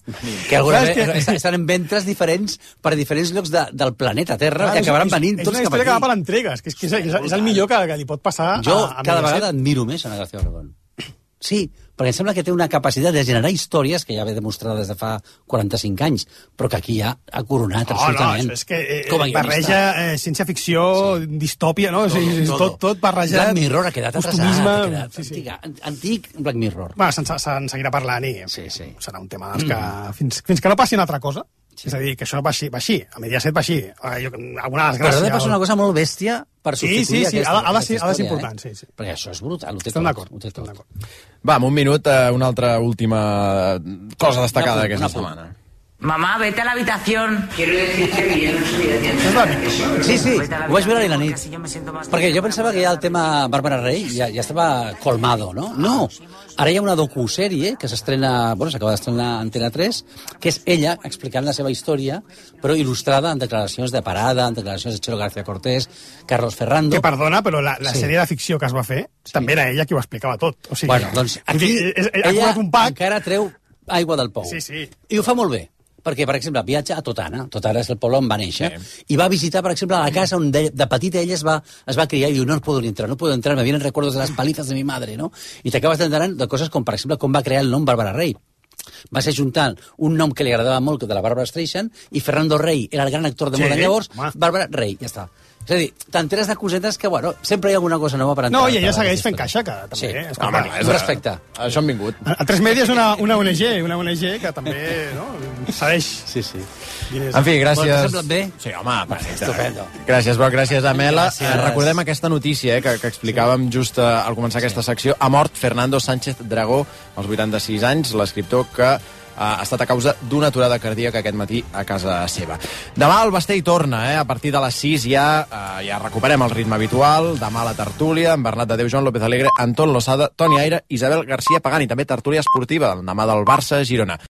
que alguna vegada estan en ventres diferents per diferents llocs del planeta Terra, que acabaran venint tots cap aquí. És una història que va per entregues, que és el millor que li pot passar a cada vegada admiro més Ana García Obregón. Sí, perquè em sembla que té una capacitat de generar històries que ja ve demostrada des de fa 45 anys, però que aquí ja ha coronat absolutament. No, és que barreja ciència-ficció, distòpia, no? Tot barrejat. Black Mirror ha quedat atrasat, antic Black Mirror. Bueno, se'n seguirà parlant i serà un tema que fins que no passi una altra cosa. És a dir, que això va així, a Mediaset va així. Alguna desgràcia. Però ha de passar una cosa molt bèstia per substituir aquesta. Ha de ser important, sí. Perquè això és brutal. Estem d'acord. Va, en un minut, una altra última cosa destacada d'aquesta setmana. Mamá, vete a la habitación. Quiero decirte que yo no soy de Sí, ho vaig veure ahir a la nit. Perquè jo pensava que ja el tema Bàrbara Rey ja estava colmado, no? No, ara hi ha una docusèrie que s'estrena, s'acaba d'estrenar a Antena 3, que és ella explicant la seva història, però il·lustrada en declaracions de Parada, en declaracions de Chelo García Cortés, Carlos Ferrando... Que perdona, però la sèrie de ficció que es va fer també era ella qui ho explicava tot. O sigui, bueno, doncs aquí ella encara treu aigua del pou. Sí. I ho fa molt bé. Perquè, per exemple, viatja a Totana. Totana és el poble on va néixer. I va visitar, per exemple, la casa on de petita ella es va criar i diu, no puedo entrar, me vienen recuerdos de las palizas de mi madre, no? I t'acabes d'entrar de coses com, per exemple, com va crear el nom Bàrbara Rey. Va ser juntant un nom que li agradava molt, de la Bàrbara Streisand, i Fernando Rey era el gran actor de moda llavors, Bàrbara Rey, ja està. És a dir, t'enteres de cosetes que, sempre hi ha alguna cosa nova per entrar. No, i ella segueix fent caixa, que també... Sí, respecte. Això han vingut. A 3 Media és una ONG que també segueix. Sí. En fi, gràcies... T'ha semblat bé? Sí, home, perfecte. Estupendo. Gràcies, Broc, gràcies, Amela. Recordem aquesta notícia que explicàvem just al començar aquesta secció. Ha mort Fernando Sánchez Dragó, als 86 anys, l'escriptor que ha estat a causa d'una aturada cardíaca aquest matí a casa seva. Demà el Bastell torna, a partir de les 6 ja recuperem el ritme habitual. Demà la tertúlia, amb Bernat de Déu, Joan López Alegre, Anton Losada, Toni Aire, Isabel García Pagani, també tertúlia esportiva, demà del Barça-Girona.